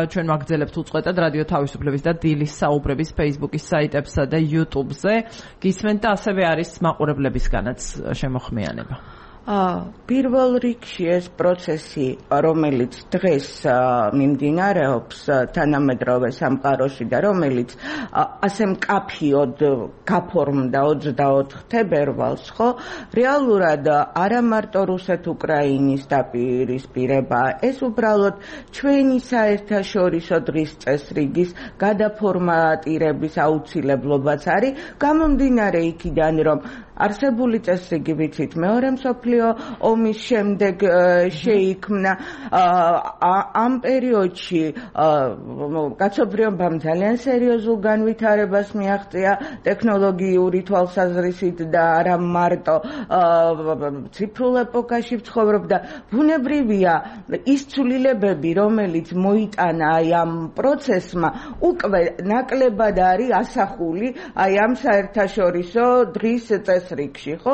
ჩვენ ვაგრძელებთ უწყვეტად რადიო თავისუფლების და დილის საუბრების Facebook-ის საიტებსა და YouTube-ზე. გისმენთ და ასევე არის მაყურებლებისგანაც შემოხმიანება. პირველ რიგში ეს პროცესი, რომელიც დღეს მიმდინარეობს თანამედროვე სამყაროში და რომელიც ასე მკაფიოდ გაფორმდა ოცდაოთხ თებერვალს, ხო, რეალურად არა მარტო რუსეთ-უკრაინის დაპირისპირება, ეს უბრალოდ ჩვენი საერთაშორისო დღის წესრიგის გადაფორმატირების აუცილებლობაც არის, გამომდინარე იქიდან, რომ არსებული წესრიგი ვიცით მეორე მსოფლიო ომის შემდეგ შეიქმნა ამ პერიოდში კაცობრიობამ ძალიან სერიოზულ განვითარებას მიაღწია ტექნოლოგიური თვალსაზრისით და არა მარტო ციფრულ ეპოქაში ცხოვრობდა. ბუნებრივია ის ცვლილებები, რომელიც მოიტანა აი ამ პროცესმა, უკვე ნაკლებად არის ასახული აი ამ საერთაშორისო დღის წესრიგში, ხო?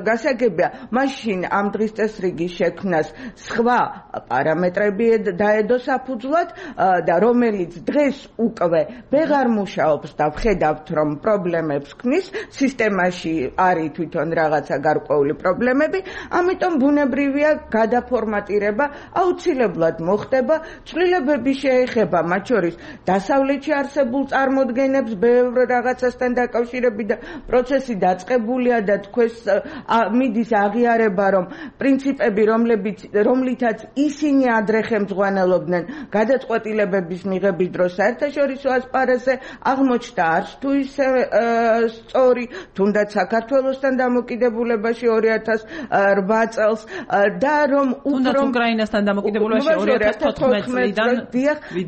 გასაგებია, მაშინ ამ დღის წესრიგის შექმნას სხვა პარამეტრები დაედო საფუძვლად და რომელიც დღეს უკვე ვეღარ მუშაობს და ვხედავთ, რომ პრობლემებს ქმნის, სისტემაში არის თვითონ რაღაცა გარკვეული პრობლემები, ამიტომ ბუნებრივია გადაფორმატირება აუცილებლად მოხდება, ცვლილებები შეეხება მათ შორის დასავლეთში არსებულ წარმოდგენებს, ბევრ რაღაცასთან დაკავშირებით და პროცესი დაწყებულია დამოკიდებულია და თქვენს მიდის აღიარება, რომ პრინციპები, რომლებიც რომლითაც ისინი ადრე ხელმძღვანელობდნენ გადაწყვეტილებების მიღების დროს საერთაშორისო ასპარეზზე, აღმოჩნდა არც თუ ისე სწორი, თუნდაც საქართველოსთან დამოკიდებულებაში ორი ათას რვა წელს და რომ თუნდაც უკრაინასთან დამოკიდებულებაში ორი ათას თოთხმეტ წლიდან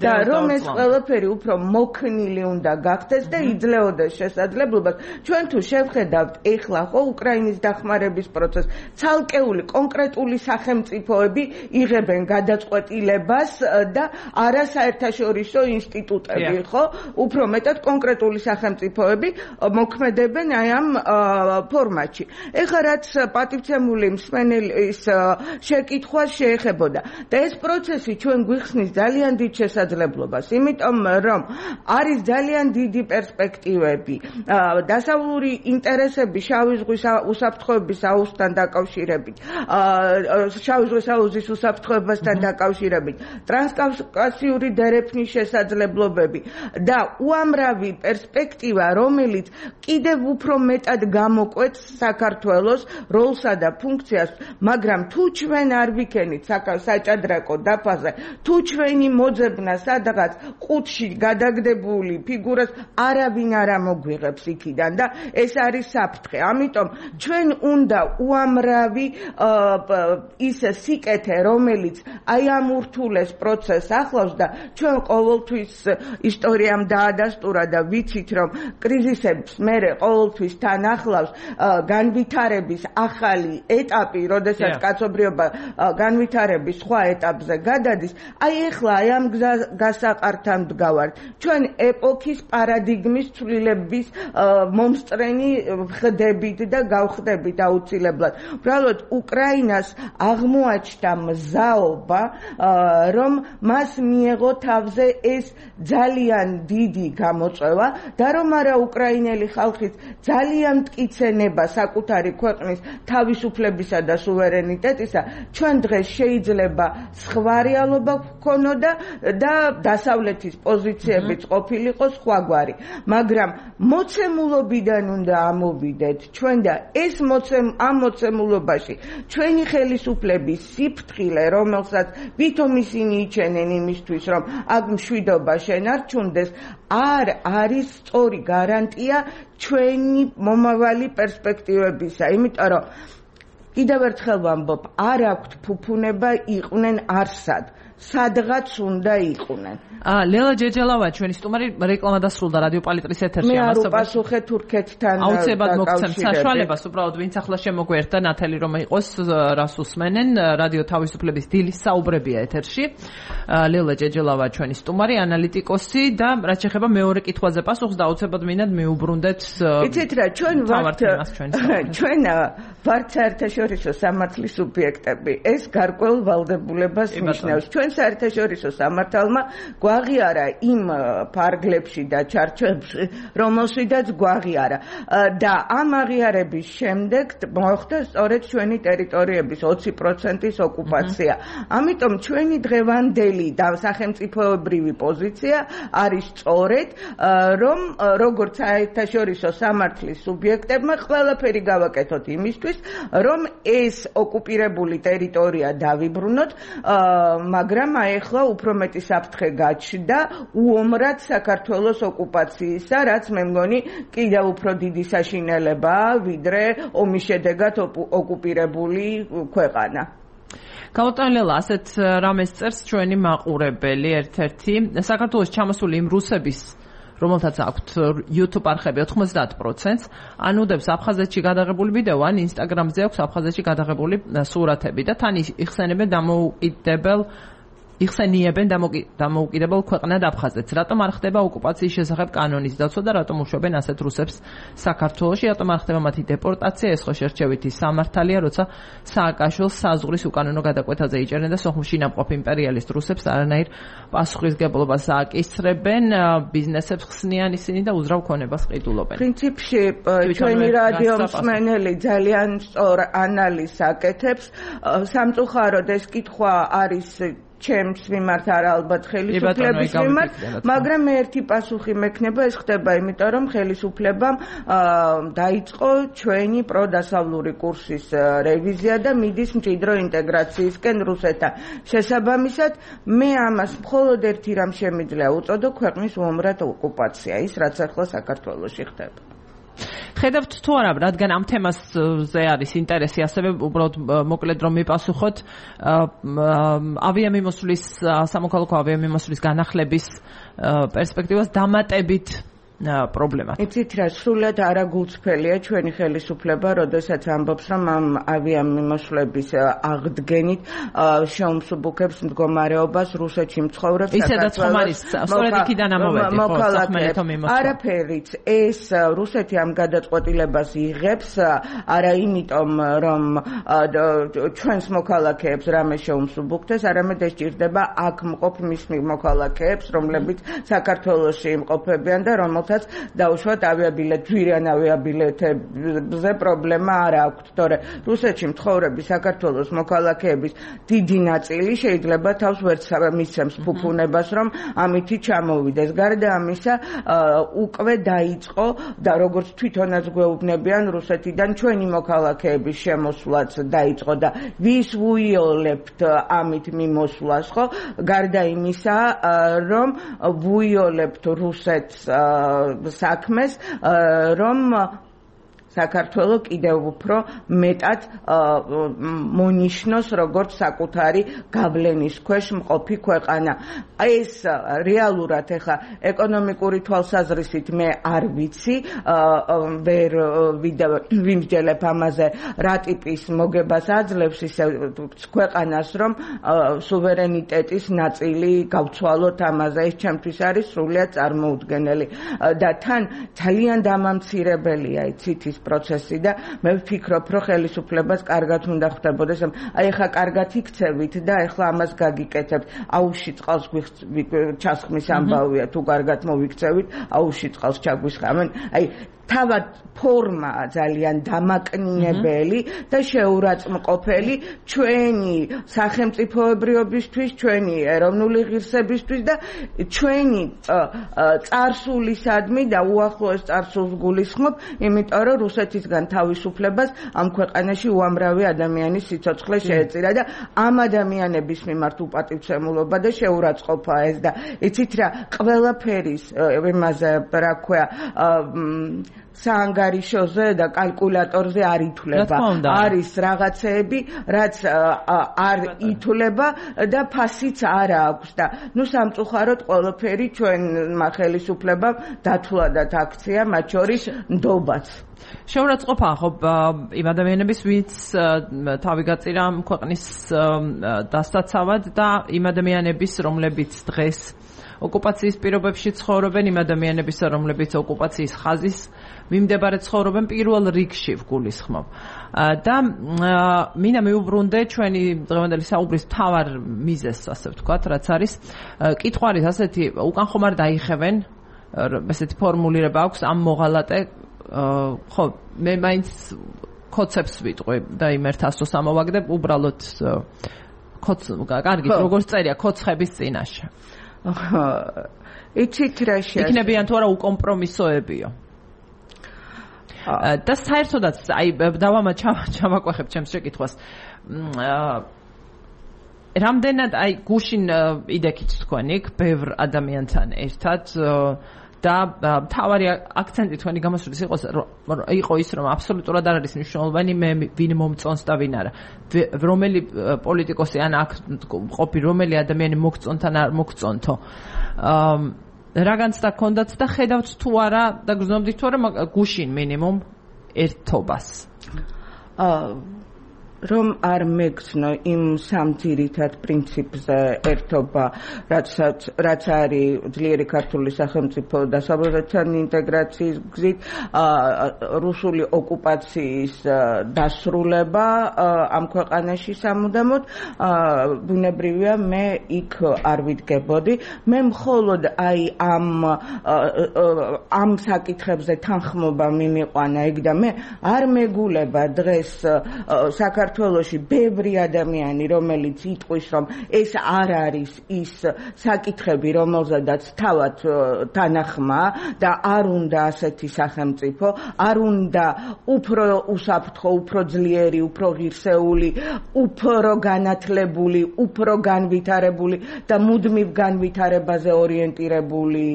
და რომ ეს ყველაფერი უფრო მოქნილი უნდა გახდეს და იძლეოდეს შესაძლებლობას. ჩვენ თუ შევხედავთ ეხლა ხო უკრაინის დახმარების პროცესს, ცალკეული კონკრეტული სახელმწიფოები იღებენ გადაწყვეტილებას და არა საერთაშორისო ინსტიტუტები, ხო? უფრო მეტად კონკრეტული სახელმწიფოები მოქმედებენ აი ამ ფორმატში. ეხლა რაც პატივცემული მსმენელის შეკითხვას შეეხებოდა და ეს პროცესი ჩვენ გვიხსნის ძალიან დიდ შესაძლებლობას, იმიტომ რომ არის ძალიან დიდი პერსპექტივები დასავლური ინტერესები შავი ზღვის უსაფრთხოების აუზთან დაკავშირებით, შავი ზღვის აუზის უსაფრთხოებასთან დაკავშირებით, ტრანსკავკასიური დერეფნის შესაძლებლობები და უამრავი პერსპექტივა, რომელიც კიდევ უფრო მეტად გამოკვეთს საქართველოს როლსა და ფუნქციას, მაგრამ თუ ჩვენ არ ვიქენით საჭადრაკო დაფაზე, თუ ჩვენი მოძებნა სადღაც ყუთში გადაგდებული ფიგურას არავინ არ ამოგვიღებს იქიდან და ეს არის საფრთხე. ამიტომ ჩვენ უნდა უამრავი ის სიკეთე, რომელიც აი ამ ურთულეს პროცესს ახლავს და ჩვენ ყოველთვის ისტორიამ დაადასტურა და ვიცით, რომ კრიზისებს მერე ყოველთვის თან ახლავს განვითარების ახალი ეტაპი, როდესაც კაცობრიობა განვითარების სხვა ეტაპზე გადადის. აი ეხლა აი ამ გასაყართან ვდგავართ. ჩვენ ეპოქის პარადიგმის ცვლილების მომსწრენი ხდებით და გავხდებით აუცილებლად. უბრალოდ უკრაინას აღმოაჩნდა მზაობა, რომ მას მიეღო თავზე ეს ძალიან დიდი გამოწვევა და რომ არა უკრაინელი ხალხის ძალიან მტკიცენება საკუთარი ქვეყნის თავისუფლებისა და სუვერენიტეტისა, ჩვენ დღეს შეიძლება სხვა რეალობა გქონოდა და დასავლეთის პოზიციებიც ყოფილიყო სხვაგვარი. მაგრამ მოცემულობიდან უნდა ამოვიდეთ ჩვენ და ეს მოცემ ამ მოცემულობაში ჩვენი ხელისუფლების სიფრთხილე, რომელსაც ვითომ ისინი იჩენენ იმისთვის, რომ აქ მშვიდობა შენარჩუნდეს, არ არის სწორი გარანტია ჩვენი მომავალი პერსპექტივებისა. იმიტომ რომ კიდევ ერთხელ ვამბობ, არ აქვთ ფუფუნება იყვნენ არსად. სადღაც უნდა იყვნენ. ლელა ჯეჯელავა ჩვენი სტუმარი, რეკლამა დასრულდა რადიო პალიტრის ეთერში. მე არ უპასუხე თურქეთთან აუცილებლად მოგცემ საშუალებას, უბრალოდ ვინც ახლა შემოგვერთა ნათელი რომ იყოს რას უსმენენ, რადიო თავისუფლების დილის საუბრებია ეთერში. ლელა ჯეჯელავა ჩვენი სტუმარი, ანალიტიკოსი და რაც შეეხება მეორე კითხვაზე პასუხს და აუცილებლად მინდა მიუბრუნდეთ. იცით რა, ჩვენ ვართ ჩვენ ვართ საერთაშორისო სამართლის სუბიექტები. ეს გარკვეულ ვალდებულებას ნიშნავს. ჩვენ საერთაშორისო სამართალმა გვაღიარა იმ ფარგლებში და ჩარჩოებში, რომელშიდაც გვაღიარა და ამ აღიარების შემდეგ მოხდა სწორედ ჩვენი ტერიტორიების ოცი პროცენტის ოკუპაცია. ამიტომ ჩვენი დღევანდელი და სახელმწიფოებრივი პოზიცია არის სწორედ, რომ როგორც საერთაშორისო სამართლის სუბიექტებმა ყველაფერი გავაკეთოთ იმისთვის, რომ ეს ოკუპირებული ტერიტორია დავიბრუნოთ, მაგრამ აეხლა უფრო მეტი საფრთხე გაჩნდა უომრად საქართველოს ოკუპაციისა, რაც მე მგონი კიდევ უფრო დიდი საშინელებაა, ვიდრე ომის შედეგად ოკუპირებული ქვეყანა. გაუტანელა ასეთ რამეს წერს ჩვენი მაყურებელი ერთ-ერთი საქართველოს ჩამოსული იმ რუსების, რომელთაც აქვთ YouTube არხები ოთხმოცდაათ პროცენტს, ანუდებს აფხაზეთში გადაღებული ვიდეო ან Instagram-ზე აქვს აფხაზეთში გადაღებული სურათები და თან იხსენებენ დამოუკიდებელ იხსენიებენ დამოუკიდებელ ქვეყნად აფხაზეთს. რატომ არ ხდება ოკუპაციის შესახებ კანონის დაცვა და რატომ უშვებენ ასეთ რუსებს საქართველოში? რატომ არ ხდება მათი დეპორტაცია? ეს ხო შერჩევითი სამართალია, როცა სააკაშვილს საზღვრის უკანონო გადაკვეთაზე იჭერენ და სოხუმში ნამყოფ იმპერიალისტ რუსებს არანაირ პასუხისგებლობას აკისრებენ, ბიზნესებს ხსნიან ისინი და უძრავ ქონებას ყიდულობენ. პრინციპში ჩვენი რადიო მსმენელი ძალიან სწორ ანალიზს აკეთებს. სამწუხაროდ ეს კითხვა არის ჩემს მიმართ არა ალბათ ხელისუფლების მიმართ, მაგრამ მე ერთი პასუხი მექნება, ეს ხდება იმიტომ, რომ ხელისუფლებამ დაიწყო ჩვენი პროდასავლური კურსის რევიზია და მიდის მჭიდრო ინტეგრაციისკენ რუსეთთან. შესაბამისად, მე ამას მხოლოდ ერთი რამ შემიძლია უწოდო, ქვეყნის უომრად ოკუპაცია, ის რაც ახლა საქართველოში ხდება. ხედავთ თუ არა, რადგან ამ თემაზე არის ინტერესი, ასევე უბრალოდ მოკლედ რომ მიპასუხოთ, ავიამიმოსვლის, სამოქალაქო ავიამიმოსვლის განახლების პერსპექტივას დამატებით პრობლემა. იცით რა, სრულად არაგულწრფელია ჩვენი ხელისუფლება, როდესაც ამბობს, რომ ამ ავიამიმოსვლების აღდგენით შეუმსუბუქებს მდგომარეობას რუსეთში მცხოვრებ საქართველოს მოქალაქეებს. არაფერიც ეს რუსეთი ამ გადაწყვეტილებას იღებს, არა იმიტომ, რომ ჩვენს მოქალაქეებს რამე შეუმსუბუქდეს, არამედ ეს ჭირდება აქ მყოფ მის მოქალაქეებს, რომლებიც საქართველოში იმყოფებიან და რომელთაც დაუშვათ ავიაბილეთ, ძვირიან ავიაბილეთებზე პრობლემა არ აქვთ, თორე რუსეთში მცხოვრები საქართველოს მოქალაქეების დიდი ნაწილი შეიძლება თავს ვერც მისცემს ფუფუნებას, რომ ამითი ჩამოვიდეს. გარდა ამისა, უკვე დაიწყო და როგორც თვითონაც გვეუბნებიან რუსეთიდან ჩვენი მოქალაქეების შემოსვლაც დაიწყო და ვის ვუიოლებთ ამით მიმოსვლას, ხო? გარდა იმისა, რომ ვუიოლებთ რუსეთს საქმეს, რომ საქართველო კიდევ უფრო მეტად მონიშნოს როგორც საკუთარი გავლენის ქვეშ მყოფი ქვეყანა. ეს რეალურად ეხა ეკონომიკური თვალსაზრისით მე არ ვიცი, ვერ ვიმსჯელებ ამაზე რა ტიპის მოგებას აძლევს ისე ქვეყანას, რომ სუვერენიტეტის ნაწილი გავცვალოთ ამაზე. ეს ჩემთვის არის სრულიად წარმოუდგენელი და თან ძალიან დამამცირებელია იცით ის პროცესი და მე ვფიქრობ, რომ ხელისუფლებას კარგად უნდა ხვდებოდეს. აი ახლა კარგად იქცევით და ახლა ამას გაგიკეთებთ. აუში წყალს ჩასხმის ამბავია, თუ კარგად მოვიქცევით, აუში წყალს ჩაგვისხამენ. აი თავად ფორმა ძალიან დამაკნინებელი და შეურაცხმყოფელი ჩვენი სახელმწიფოებრიობისთვის, ჩვენი ეროვნული ღირსებისთვის და ჩვენი წარსულისადმი და უახლოეს წარსულს გულისხმობ, იმიტომ რომ რუსეთისგან თავისუფლებას ამ ქვეყანაში უამრავი ადამიანის სიცოცხლე შეეწირა და ამ ადამიანების მიმართ უპატივცემულობა და შეურაცხყოფა ეს და იცით რა, ყველაფერის იმაზე რა ქვია საანგარიშოზე და კალკულატორზე არ ითვლება. არის რაღაცეები, რაც არ ითვლება და ფასიც არ აქვს და ნუ სამწუხაროდ ყველაფერი ჩვენმა ხელისუფლებამ დათვლადათ აქცია, მათ შორის ნდობაც. შეურაცხყოფა ხო იმ ადამიანების, ვინც თავი გაწირა ქვეყნის დასტაცავად და იმ ადამიანების, რომლებიც დღეს ოკუპაციის პირობებში ცხოვრობენ, იმ ადამიანების, რომლებიც ოკუპაციის ხაზის მიმდებარე ცხოვრობენ, პირველ რიგში ვგულისხმობ. და მინდა მივუბრუნდე ჩვენი დღევანდელი საუბრის მთავარ მიზეზს, ასე ვთქვათ, რაც არის კითხვა არის ასეთი, უკან ხომ არ დაიხევენ, ესეთი ფორმულირება აქვს ამ მოღალატე, ხო, მე მაინც კოცებს ვიტყვი და იმ ერთ ასოს ამოვაგდებ, უბრალოდ კოც, კარგი, როგორც წერია, კოცხების წინაშე. იცით რა შეიძლება იქნებიან თუ არა უკომპრომისოებიო და საერთოდაც აი დავამა ჩავაკვეხებ ჩემს შეკითხვას რამდენად აი გუშინ იდექით თქვენ იქ ბევრ ადამიანთან ერთად და მთავარი აქცენტი თქვენი გამოსვლის იყო იყო ის რომ აბსოლუტურად არ არის მნიშვნელოვანი მე ვინ მომწონს და ვინ არა რომელი პოლიტიკოსი ან აქ ყოფი რომელი ადამიანი მოგწონთან არ მოგწონთო რა განცდა გქონდათ და ხედავთ თუ არა და გრძნობდით თუ არა გუშინ მინიმუმ ერთობას რომ არ მეგცნო იმ სამძირითად პრინციპზე ერთობა, რაცაც რაც არის ძლიერი ქართული სახელმწიფო და საბჭოთან ინტეგრაციის გზით რუსული ოკუპაციის დასრულება ამ ქვეყანაში სამუდამოდ ბუნებრივია მე იქ არ ვიდგებოდი მე მხოლოდ აი ამ ამ საკითხებზე თანხმობა მიმიყვანა იქ და მე არ მეგულება დღეს საქართველოს საქართველოში ბევრი ადამიანი, რომელიც იტყვის, რომ ეს არ არის ის საკითხები, რომელზედაც თავად თანახმა და არ უნდა ასეთი სახელმწიფო, არ უნდა უფრო უსაფრთხო, უფრო ძლიერი, უფრო ღირსეული, უფრო განათლებული, უფრო განვითარებული და მუდმივ განვითარებაზე ორიენტირებული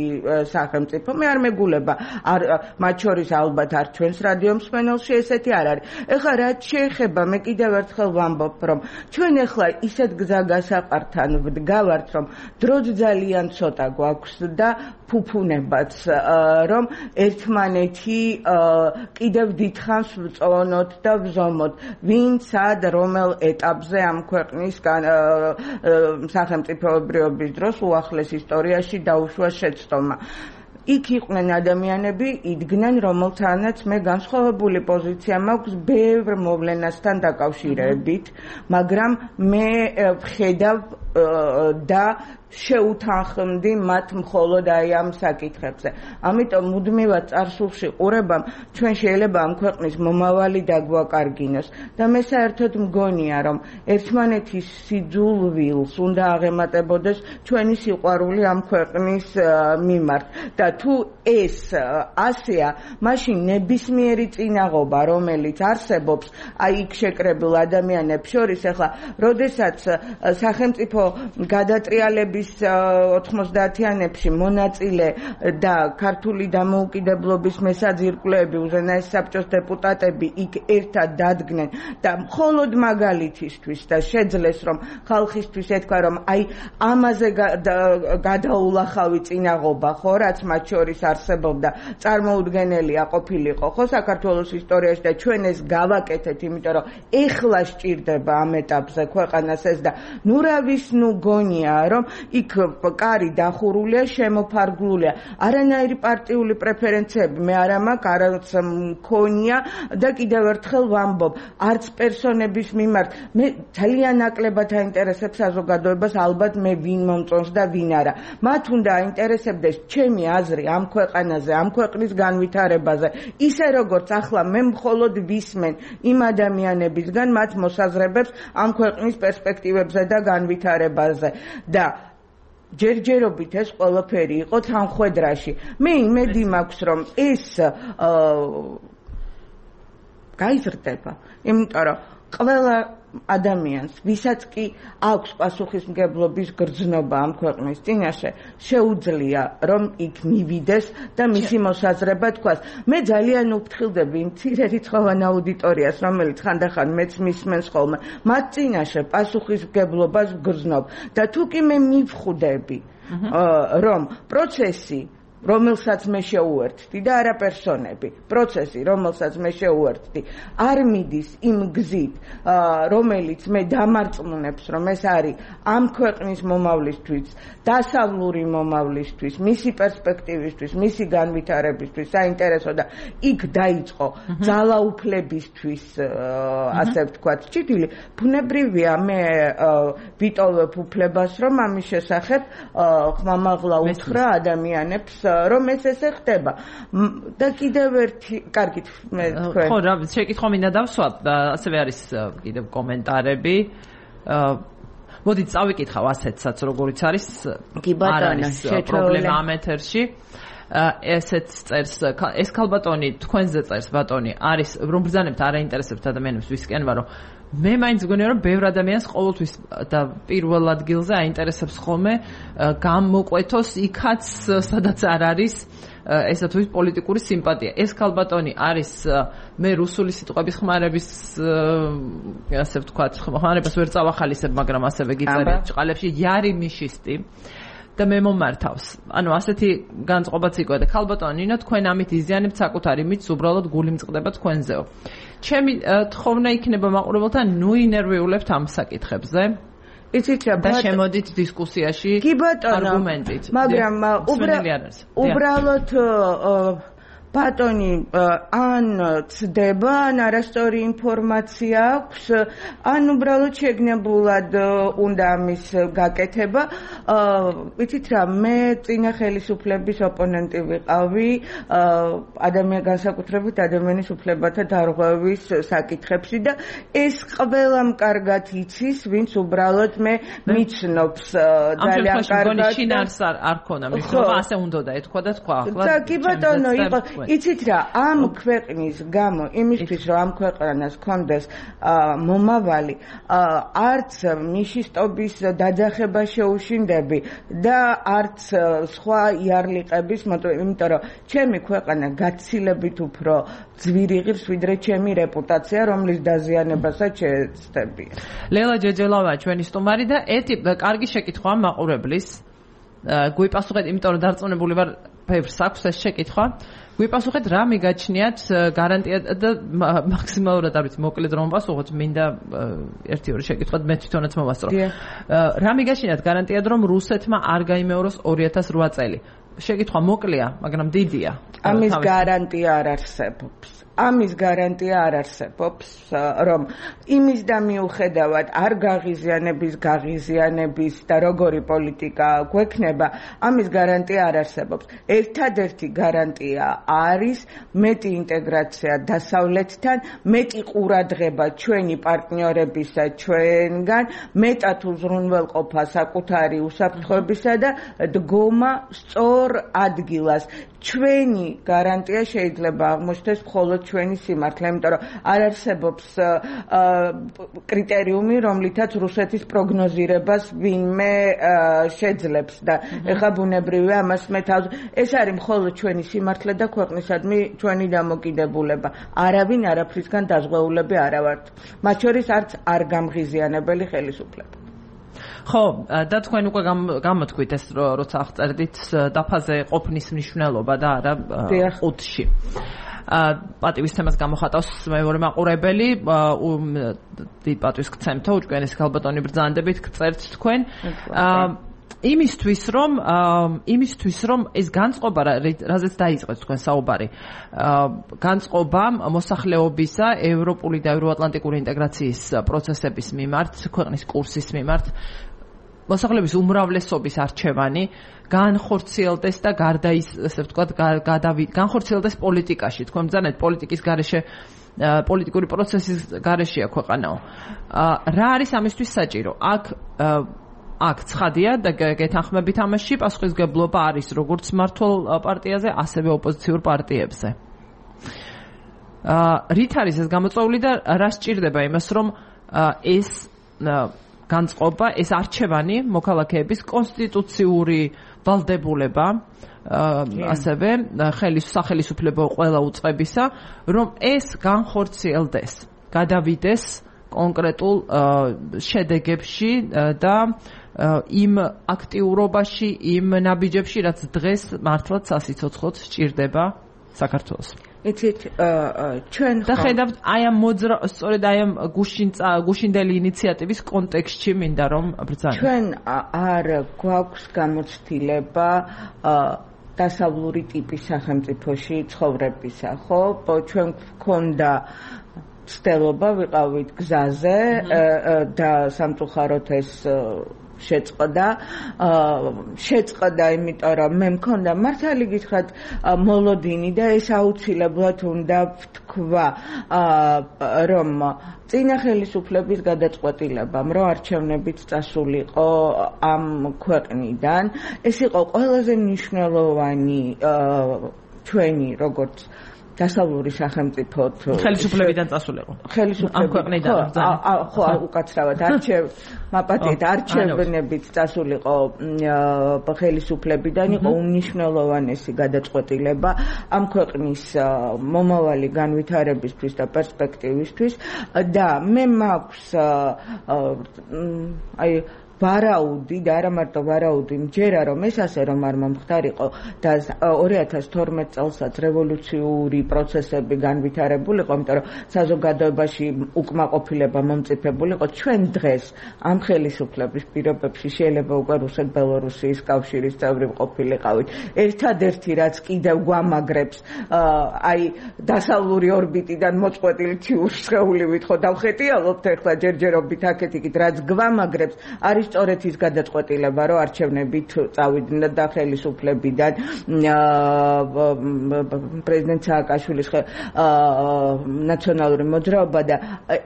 სახელმწიფო. მე არ მეგულება, არ მათ შორის ალბათ არ ჩვენს რადიო მსმენელში ესეთი არ არის. ეხლა რაც შეეხება, მე კიდევ ერთხელ ვამბობ, რომ ჩვენ ეხლა ისეთ გზაგასაყართან ვდგავართ, რომ დროც ძალიან ცოტა გვაქვს და ფუფუნებაც, რომ ერთმანეთი კიდევ დიდხანს ვწონოთ და ვზომოთ, ვინ სად რომელ ეტაპზე ამ ქვეყნის სახელმწიფოებრიობის დროს უახლეს ისტორიაში დაუშვა შეცდომა. იქ იყვნენ ადამიანები, იდგნენ, რომელთანაც მე განსხვავებული პოზიცია მაქვს ბევრ მოვლენასთან დაკავშირებით, მაგრამ მე ვხედავ და შეუთანხმდი მათ მხოლოდ აი ამ საკითხებზე. ამიტომ მუდმივად წარსულში ყურებამ ჩვენ შეიძლება ამ ქვეყნის მომავალი დაგვაკარგინოს და მე საერთოდ მგონია, რომ ერთმანეთის სიძულვილს უნდა აღემატებოდეს ჩვენი სიყვარული ამ ქვეყნის მიმართ და თუ ეს ასეა, მაშინ ნებისმიერი წინაღობა, რომელიც არსებობს აი იქ შეკრებილ ადამიანებს შორის, ახლა როდესაც სახელმწიფო გადატრიალების ოთხმოცდაათიანებში მონაწილე და ქართული დამოუკიდებლობის მესაძირკვლეები, უზენაეს საბჭოს დეპუტატები იქ ერთად დადგნენ და მხოლოდ მაგალითისთვის და შეძლეს, რომ ხალხისთვის ეთქვა, რომ აი ამაზე გადაულახავი წინაღობა, ხო, რაც მათ შორის არსებობდა, წარმოუდგენელია ყოფილიყო, ხო, საქართველოს ისტორიაში და ჩვენ ეს გავაკეთეთ, იმიტომ რომ ეხლა სჭირდება ამ ეტაპზე ქვეყანას ეს და ნუ რავის ნუ გონია, რომ იქ კარი დახურულია, შემოფარგლულია. არანაირი პარტიული პრეფერენციები მე არ მაქვს, არც მქონია და კიდევ ერთხელ ვამბობ, არც პერსონების მიმართ. მე ძალიან ნაკლებად აინტერესებს საზოგადოებას, ალბათ მე ვინ მომწონს და ვინ არა. მათ უნდა აინტერესებდეს ჩემი აზრი ამ ქვეყანაზე, ამ ქვეყნის განვითარებაზე. ისე როგორც ახლა მე მხოლოდ ვისმენ იმ ადამიანებისგან მათ მოსაზრებებს ამ ქვეყნის პერსპექტივებზე და განვითარებაზე. და ჯერჯერობით ეს ყველაფერი იყო თანხვედრაში. მე იმედი მაქვს, რომ ეს გაიზრდება, იმიტომ რომ ყველა ადამიანს, ვისაც კი აქვს პასუხისმგებლობის გრძნობა ამ ქვეყნის წინაშე, შეუძლია რომ იქ მივიდეს და მისი მოსაზრება თქვას. მე ძალიან უფრთხილდები იმ მცირე რიცხოვან აუდიტორიას, რომელიც ხანდახან მეც მისმენს ხოლმე, მათ წინაშე პასუხისმგებლობას გრძნობ და თუ კი მე მივხვდები, რომ პროცესი რომელსაც მე შეუერთდი და არა პერსონები, პროცესი, რომელსაც მე შეუერთდი, არ მიდის იმ გზით, რომელიც მე დამარწმუნებს, რომ ეს არის ამ ქვეყნის მომავლისთვის, დასავლური მომავლისთვის, მისი პერსპექტივისთვის, მისი განვითარებისთვის საინტერესო და იქ დაიწყო ძალაუფლებისთვის, ასე ვთქვათ, ჭიდილი, ბუნებრივია მე ვიტოვებ უფლებას, რომ ამის შესახებ ხმამაღლა უთხრა ადამიანებს რომ ეს ესე ხდება და კიდევ ერთი კარგით მე თქვენ ხო რა შეკითხვა მინდა დავსვათ ასევე არის კიდევ კომენტარები მოდით წავიკითხავ ასეთსაც როგორიც არის კი ბატონო პრობლემა ამ ეთერში ესეც წერს ეს ქალბატონი თქვენზე წერს ბატონი არის რომ ბრძანებთ არ აინტერესებთ ადამიანებს ვისკენ ვარო მე მაინც მგონია რომ ბევრ ადამიანს ყოველთვის და პირველ ადგილზე აინტერესებს ხოლმე გამოყვეთოს იქაც სადაც არ არის ესა თუ ის პოლიტიკური სიმპათია. ეს ქალბატონი არის მე რუსული სიტყვების ხმარების ასე ვთქვათ ხმარებას ვერ წავახალისებ, მაგრამ ასევე გიწერეთ ჭყალებში იარი მიშისტი და მე მომართავს. ანუ ასეთი განწყობაც იყვე და ქალბატონი ნინო თქვენ ამით იზიანებთ საკუთარი მით უბრალოდ გული მწყდება თქვენზეო. ჩემი თხოვნა იქნება მაყურებელთან ნუ ინერვიულებთ ამ საკითხებზე. იცით რა და შემოდით დისკუსიაში არგუმენტით. მაგრამ უბრალოდ ბატონი ან ცდება, ან არასწორი ინფორმაცია აქვს, ან უბრალოდ შეგნებულად უნდა ამის გაკეთება. ვიცით რა, მე წინა ხელისუფლების ოპონენტი ვიყავი ადამიან განსაკუთრებით ადამიანის უფლებათა დარღვევის საკითხებში და ეს ყველამ კარგად იცის, ვინც უბრალოდ მე მიცნობს ძალიან კარგად. შინაარს არ ქონა მნიშვნელობა, ასე უნდა და ეთქვა და თქვა ახლა. და კი ბატონო, იყო იცით რა, ამ ქვეყნის გამო, იმისთვის რომ ამ ქვეყანას კონდეს მომავალი, არც ნიშისტობის დაძახება შეუშინდები და არც სხვა იარლიყების, იმიტომ რომ ჩემი ქვეყანა გაცილებით უფრო ძვირი ღირს, ვიდრე ჩემი რეპუტაცია, რომლის დაზიანებასაც შეეცდები. ლელა ჯეჯელავა ჩვენი სტუმარი და ერთი კარგი შეკითხვა მაყურებლის. გვიპასუხეთ, იმიტომ რომ დარწმუნებული ვარ, ფებრს აქვს ეს შეკითხვა. გვიპასუხეთ, რა მიგაჩნიათ გარანტია და მაქსიმალურად არ ვიცი, მოკლედ რომ ვასუხოთ, მინდა ერთი ორი შეკითხვად მე თვითონაც მოვასწრო. რა მიგაჩნიათ გარანტიად, რომ რუსეთმა არ გაიმეოროს ორი ათას რვა წელი? შეკითხვა მოკლეა, მაგრამ დიდია. ამის გარანტია არ არსებობს. ამის გარანტია არ არსებობს, რომ იმის და მიუხედავად არ გაღიზიანების, გაღიზიანების და როგორი პოლიტიკა გვექნება, ამის გარანტია არ არსებობს. ერთადერთი გარანტია არის მეტი ინტეგრაცია დასავლეთთან, მეტი ყურადღება ჩვენი პარტნიორებისა ჩვენგან, მეტად უზრუნველყოფა საკუთარი უსაფრთხოებისა და დგომა სწორ ადგილას. ჩვენი გარანტია შეიძლება აღმოჩნდეს მხოლოდ ჩვენი სიმართლე, იმიტომ რომ არ არსებობს კრიტერიუმი, რომლითაც რუსეთის პროგნოზირებას ვინმე შეძლებს და ეხლა ბუნებრივია ამას მე თავს. ეს არის მხოლოდ ჩვენი სიმართლე და ქვეყნისადმი ჩვენი დამოკიდებულება. არავინ არაფრისგან დაზღვეულები არა ვართ. მათ შორის არც არ გამღიზიანებელი ხელისუფლება. ხო, და თქვენ უკვე გამოთქვით ეს, როცა აღწერდით დაფაზე ყოფნის მნიშვნელობა და არა ყუთში. პატივის თემას გამოხატავს მეორე მაყურებელი, დიდ პატივს გცემთო, უჭკვიანესი ქალბატონი ბრძანდებით გწერთ თქვენ. იმისთვის რომ იმისთვის რომ ეს განწყობა, რაზეც დაიწყეთ თქვენ საუბარი, განწყობა მოსახლეობისა ევროპული და ევროატლანტიკური ინტეგრაციის პროცესების მიმართ, ქვეყნის კურსის მიმართ, მოსახლეობის უმრავლესობის არჩევანი განხორციელდეს და გარდა ის, ესე ვთქვათ, განხორციელდეს პოლიტიკაში. თქვენ ბრძანეთ პოლიტიკის გარეშე, პოლიტიკური პროცესის გარეშეა ქვეყანაო. რა არის ამისთვის საჭირო? აქ აქ ცხადია და გეთანხმებით ამაში, პასუხისმგებლობა არის როგორც მმართველ პარტიაზე, ასევე ოპოზიციურ პარტიებზე. რით არის ეს გამოწვეული და რა სჭირდება იმას, რომ ეს განწყობა, ეს არჩევანი მოქალაქეების კონსტიტუციური ვალდებულება, ასევე სახელისუფლებო ყველა უწყებისა, რომ ეს განხორციელდეს, გადავიდეს კონკრეტულ შედეგებში და იმ აქტიურობაში, იმ ნაბიჯებში, რაც დღეს მართლაც სასიცოცხლოდ სჭირდება საქართველოს. იცით, ჩვენ და ხედავთ აი ამ მოძრა, სწორედ აი ამ გუშინდელი ინიციატივის კონტექსტში მინდა რომ ბრძანოთ. ჩვენ არ გვაქვს გამოცდილება დასავლური ტიპის სახელმწიფოში ცხოვრებისა, ხო? ჩვენ გვქონდა ცდილობა, ვიყავით გზაზე და სამწუხაროდ ეს შეწყდა, შეწყდა, იმიტომ რომ მე მქონდა მართალი გითხრათ მოლოდინი და ეს აუცილებლად უნდა ვთქვა, რომ წინა ხელისუფლების გადაწყვეტილებამ, რომ არჩევნებით წასულიყო ამ ქვეყნიდან, ეს იყო ყველაზე მნიშვნელოვანი ჩვენი როგორც დასავლური სახელმწიფო ხელისუფლებიდან წასულიყო. ხელისუფლებიდან ხო, უკაცრავად არჩევ მაპატიეთ არჩევნებით წასულიყო ხელისუფლებიდან, იყო უმნიშვნელოვანესი გადაწყვეტილება ამ ქვეყნის მომავალი განვითარებისთვის და პერსპექტივისთვის და მე მაქვს აი ვარაუდი და არა მარტო ვარაუდი, მჯერა რომ ეს ასე რომ არ მომხდარიყო და ორი ათას თორმეტ წელსაც რევოლუციური პროცესები განვითარებულიყო, იმიტომ რომ საზოგადოებაში უკმაყოფილება მომწიფებულიყო, ჩვენ დღეს ამ ხელისუფლების პირობებში შეიძლება უკვე რუსეთ-ბელორუსიის კავშირის წევრი ყოფილიყავით. ერთადერთი რაც კიდევ გვამაგრებს აი დასავლური ორბიტიდან მოწყვეტილი თიურ სხეულივით ხო დავხეტიალობთ ახლა ჯერჯერობით აქეთ-იქით რაც გვამაგრებს არის სწორედ ის გადაწყვეტილება რომ არჩევნებით წავიდნენ და ხელისუფლებიდან პრეზიდენტ სააკაშვილის ნაციონალური მოძრაობა და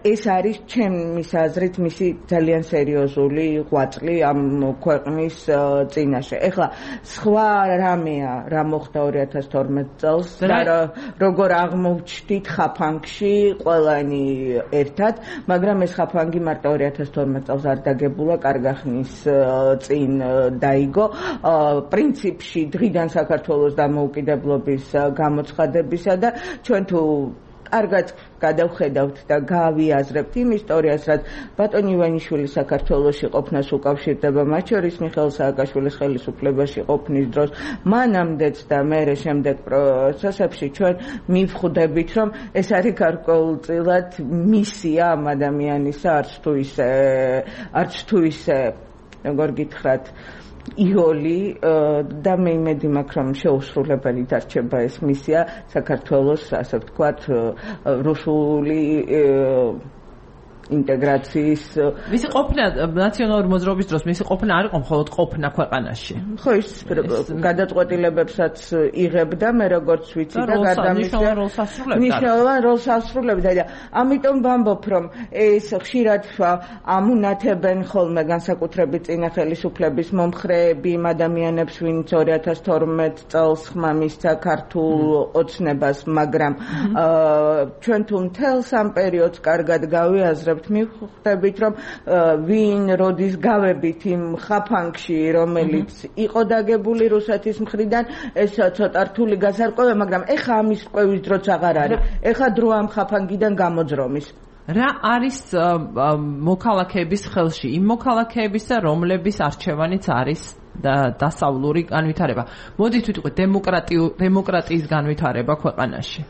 ეს არის ჩემის აზრით მისი ძალიან სერიოზული ღვაწლი ამ ქვეყნის წინაშე. ეხლა სხვა რამეა რა მოხდა ორი ათას თორმეტ წელს და როგორ აღმოჩნდით ხაფანგში ყველანი ერთად, მაგრამ ეს ხაფანგი მარტო ორი ათას თორმეტ წელს არ დაგებულა, კარგა ხნის წინ დაიგო. პრინციპში დღიდან საქართველოს დამოუკიდებლობის გამოცხადებისა და ჩვენ თუ კარგად გადავხედავთ და გავიაზრებთ იმ ისტორიას, რაც ბატონ ივანიშვილი საქართველოში ყოფნას უკავშირდება, მათ შორის მიხეილ სააკაშვილის ხელისუფლებაში ყოფნის დროს, მანამდეც და მერე შემდეგ პროცესებში ჩვენ მივხვდებით, რომ ეს არის გარკვეულწილად მისია ამ ადამიანისა, არც თუ ისე არც თუ ისე როგორ გითხრათ იოლი და მე იმედი მაქვს რომ შეუსრულებელი დარჩება ეს მისია საქართველოს ასე ვთქვათ რუსული ინტეგრაციის მისი ყოფნა ნაციონალური მოძრაობის დროს მისი ყოფნა არ იყო მხოლოდ ყოფნა ქვეყანაში. ხო ის გადაწყვეტილებებსაც იღებდა მე როგორც ვიცი და გადამისვლა მნიშვნელოვან როლს ასრულებდა და ამიტომ ვამბობ რომ ეს ხშირად ამუნათებენ ხოლმე განსაკუთრებით წინა ხელისუფლების მომხრეები იმ ადამიანებს ვინც ორი ათას თორმეტ წელს ხმა მისცა ქართულ ოცნებას, მაგრამ ჩვენ თუ მთელს ამ პერიოდს კარგად გავიაზრებთ მივხვდებით რომ ვინ როდის გავებით იმ ხაფანგში რომელიც იყო დაგებული რუსეთის მხრიდან ეს ცოტა რთული გასარკვევია, მაგრამ ეხა ამის ყვევის დროც აღარ არის, ეხა დრო ამ ხაფანგიდან გამოძრომის. რა არის მოქალაქეების ხელში იმ მოქალაქეებისა რომლების არჩევანიც არის და დასავლური განვითარება. მოდით ვიტყვით დემოკრატიის განვითარება ქვეყანაში.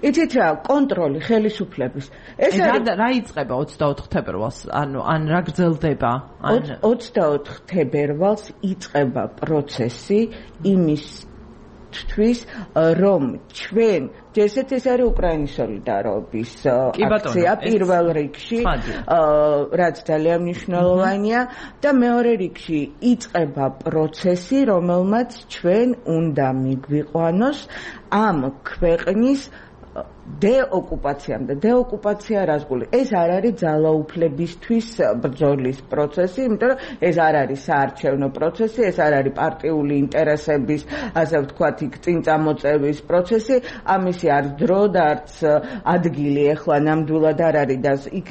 იცით რა, კონტროლი ხელისუფლების. ეს რა იწყება ოცდაოთხ თებერვალს? ანუ ან რა გრძელდება? ოცდაოთხ თებერვალს იწყება პროცესი იმის თვის რომ ჩვენ ჯერჯერობით ეს არის უკრაინის სოლიდარობის აქცია პირველ რიგში, რაც ძალიან მნიშვნელოვანია და მეორე რიგში იწყება პროცესი, რომელმაც ჩვენ უნდა მიგვიყვანოს ამ ქვეყნის დეოკუპაციამდე. დეოკუპაცია რას გული? ეს არ არის ძალაუფლებისთვის ბრძოლის პროცესი, იმიტომ რომ ეს არ არის საარჩევნო პროცესი, ეს არ არის პარტიული ინტერესების, ასე ვთქვათ, იქ წინ წამოწევის პროცესი, ამისი არც დრო და არც ადგილი ეხლა ნამდვილად არ არის და იქ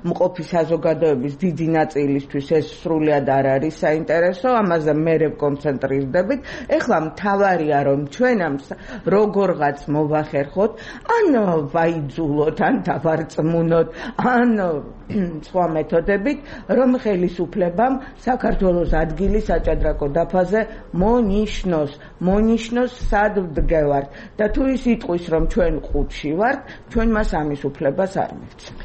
მყოფი საზოგადოების დიდი ნაწილისთვის ეს სრულად არ არის საინტერესო, ამაზე მერე კონცენტრირდებით. ეხლა მთავარია რომ ჩვენ ამ როგორღაც მოვახერხოთ, ან ვაიძულოთ, ან დავარწმუნოთ, ან სხვა მეთოდებით, რომ ხელისუფლებამ საქართველოს ადგილი საჭადრაკო დაფაზე მონიშნოს, მონიშნოს სად ვდგევართ და თუ ის იტყვის, რომ ჩვენ ყუთში ვართ, ჩვენ მას ამის უფლებას არ მივცემთ.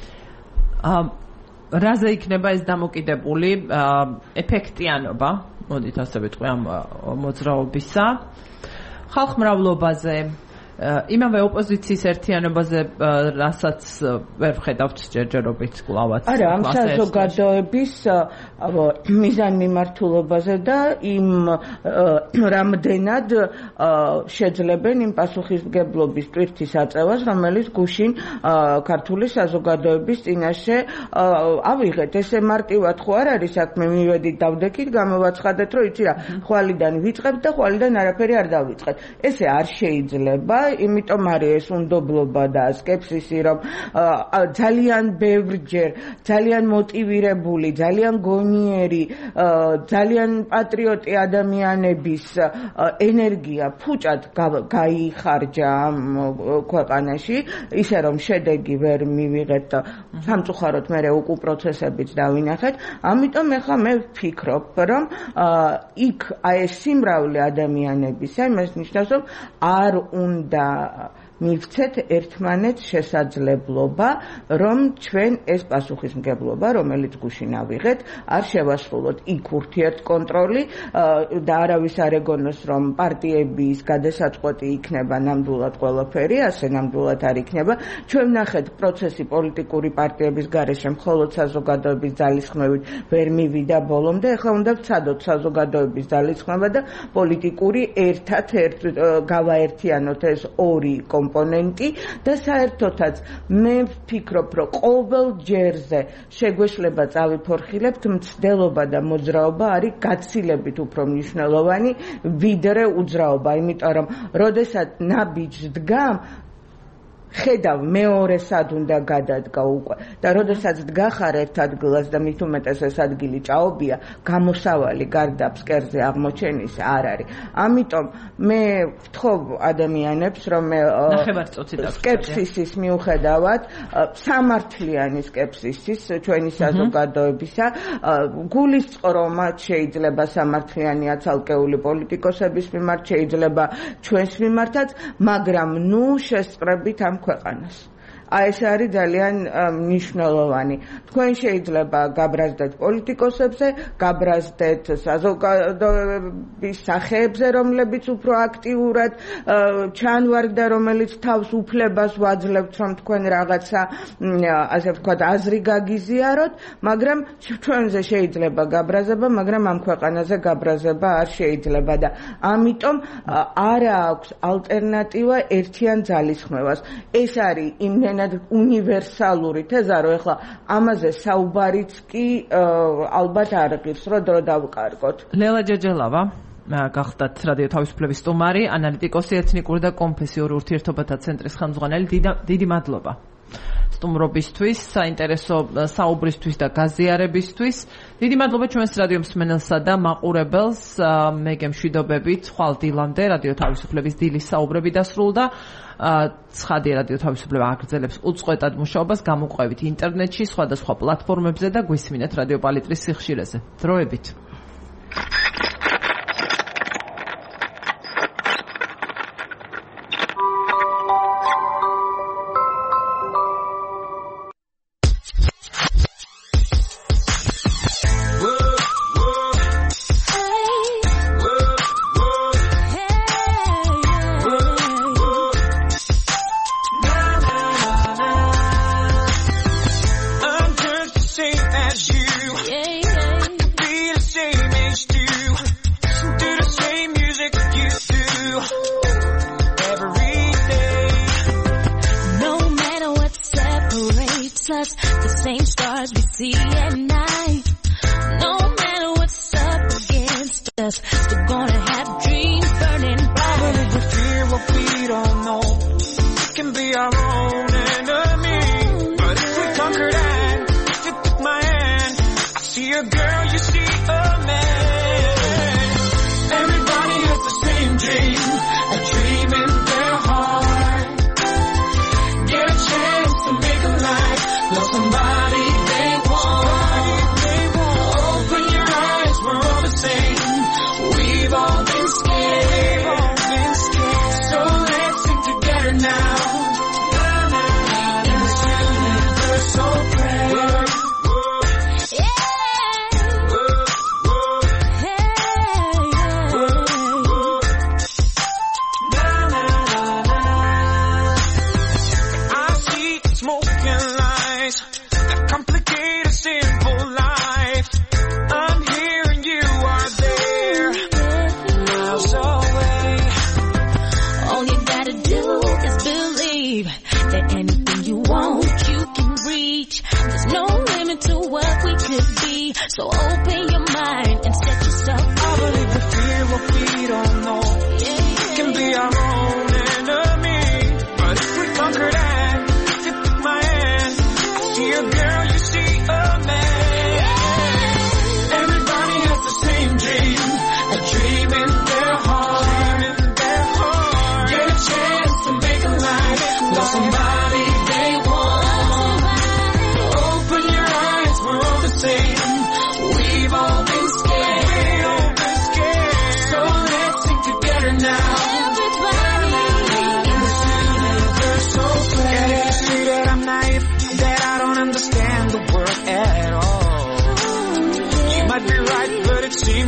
რაზე იქნება ეს დამოკიდებული ეფექტიანობა, მოდით ასე ვიტყვი ამ მოძრაობისა, ხალხმრავლობაზე, იმავე ოპოზიციის ერთიანობაზე, რასაც ვერ ვხედავთ ჯერჯერობით კლავაც. არა, ამ საზოგადოების მიზანმიმართულობაზე და იმ რამდენად შეძლებენ იმ პასუხისმგებლობის ტვირთის აწევას, რომელიც გუშინ ქართული საზოგადოების წინაშე ავიღეთ. ესე მარტივად ხო არ არის საქმე, მივედით დავდექით, გამოვაცხადეთ, რომ იცი რა, ხვალიდან ვიწყებთ და ხვალიდან არაფერი არ დავიწყეთ. ესე არ შეიძლება. იმიტომ არის ეს უნდობლობა და სკეპსისი, რომ ძალიან ბევრჯერ ძალიან მოტივირებული, ძალიან გონიერი, ძალიან პატრიოტი ადამიანების ენერგია ფუჭად გაიხარჯა ამ ქვეყანაში, ისე რომ შედეგი ვერ მივიღეთ და სამწუხაროდ მე უკუ პროცესებიც დავინახეთ. ამიტომ ეხლა მე ვფიქრობ, რომ იქ აი ეს სიმრავლე ადამიანებისა, იმას ნიშნავს, რომ არ უნდა მივცეთ ერთმანეთს შესაძლებლობა, რომ ჩვენ ეს პასუხისმგებლობა, რომელიც გუშინ ავიღეთ, არ შევასრულოთ იქ ურთიერთკონტროლი და არავის არ ეგონოს, რომ პარტიების გადასაწყვეტი იქნება ნამდვილად ყველაფერი, ასე ნამდვილად არ იქნება. ჩვენ ვნახეთ პროცესი პოლიტიკური პარტიების გარეშე მხოლოდ საზოგადოების ძალისხმევით ვერ მივიდა ბოლომდე, ეხლა უნდა ვცადოთ საზოგადოების ძალისხმევა და პოლიტიკური ერთად ერთ გავაერთიანოთ ეს ორი კომპონენტი და საერთოდაც მე ვფიქრობ, რომ ყოველ ჯერზე შეგვეშლება წავიფორხილებთ, მცდელობა და მოძრაობა არის გაცილებით უფრო მნიშვნელოვანი ვიდრე უძრაობა, იმიტომ რომ როდესაც ნაბიჯს დგამ ხედავ მეორე სად უნდა გადადგა უკვე და როდესაც დგახარ ერთ ადგილას და მით უმეტეს ეს ადგილი ჭაობია, გამოსავალი გარდა ფსკერზე აღმოჩენის არ არის. ამიტომ მე ვთხოვ ადამიანებს, რომ სკეპსისის მიუხედავად, სამართლიანი სკეპსისის ჩვენი საზოგადოებისა, გულისწყრო მათ შეიძლება სამართლიანია ცალკეული პოლიტიკოსების მიმართ, შეიძლება ჩვენს მიმართაც, მაგრამ ნუ შესწრებით ამ ქვეყანას. აი ეს არის ძალიან მნიშვნელოვანი. თქვენ შეიძლება გაბრაზდეთ პოლიტიკოსებზე, გაბრაზდეთ საზოგადოების სახეებზე, რომლებიც უფრო აქტიურად ჩანვარდა, რომელიც თავს უფლებას ვაძლევთ, რომ თქვენ რაღაცა, ასე ვთქვათ, აზრი გაგიზიაროთ, მაგრამ ჩვენზე შეიძლება გაბრაზება, მაგრამ ამ ქვეყანაზე გაბრაზება არ შეიძლება და ამიტომ არ აქვს ალტერნატივა ერთიან ძალისხმევას. ეს არის იმდენად უნივერსალური თეზა, რომ ეხლა ამაზე საუბარიც კი ალბათ არ ღირს, რომ დრო დავკარგოთ. ლელა ჯეჯელავა გახდათ რადიო თავისუფლების სტუმარი, ანალიტიკოსი, ეთნიკური და კონფესიური ურთიერთობათა ცენტრის ხელმძღვანელი. დიდი მადლობა სტუმრობისთვის, საინტერესო საუბრისთვის და გაზიარებისთვის. დიდი მადლობა ჩვენს რადიო მსმენელსა და მაყურებელს. მე გემშვიდობებით, ხვალ დილამდე რადიო თავისუფლების დილის საუბრები დასრულდა. ცხადია, რადიო თავისუფლება აგრძელებს უწყვეტად მუშაობას, გამოყვებით ინტერნეტში, სხვადასხვა პლატფორმებზე და გვისმინეთ რადიო პალიტრის სიხშირეზე. დროებით.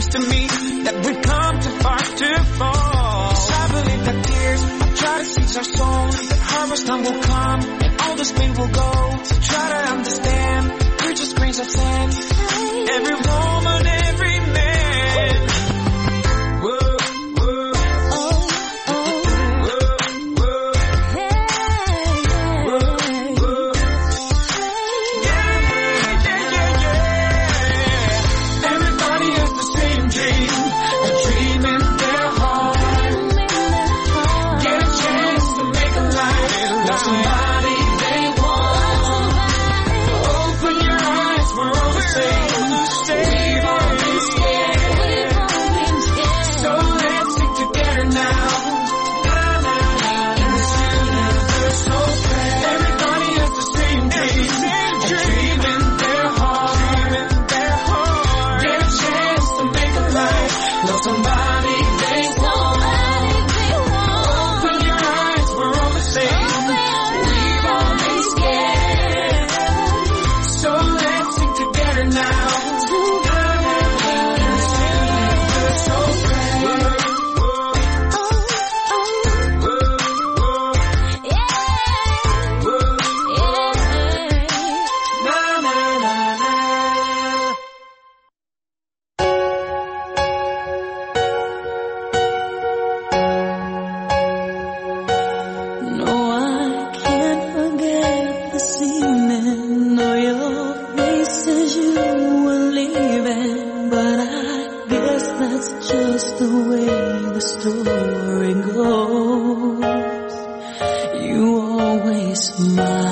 seems to me that we've come too far to fall. Yes, I believe that tears will try to seize our soul. That harvest time will come and all this pain will go. So try to understand, we're just grains of sand. Every woman, every man. Whoa, whoa. Oh, oh. Whoa, whoa. Hey, whoa, whoa. Yeah, yeah, yeah, yeah. Everybody has the same dream, a dream in their heart. Get a chance to make a life, love somebody they want. Open your eyes, we're all the same. We've all been scared, so let's stick together now. In this universe so fair, everybody has the same dream, a dream in their heart. Get a chance to make a life, love somebody they want. Open your eyes, we're all the same. We've all been scared, so let's stick together now. No, I can't forget this evening or your face as you were leaving. But I guess that's just the way the story goes. You always smile.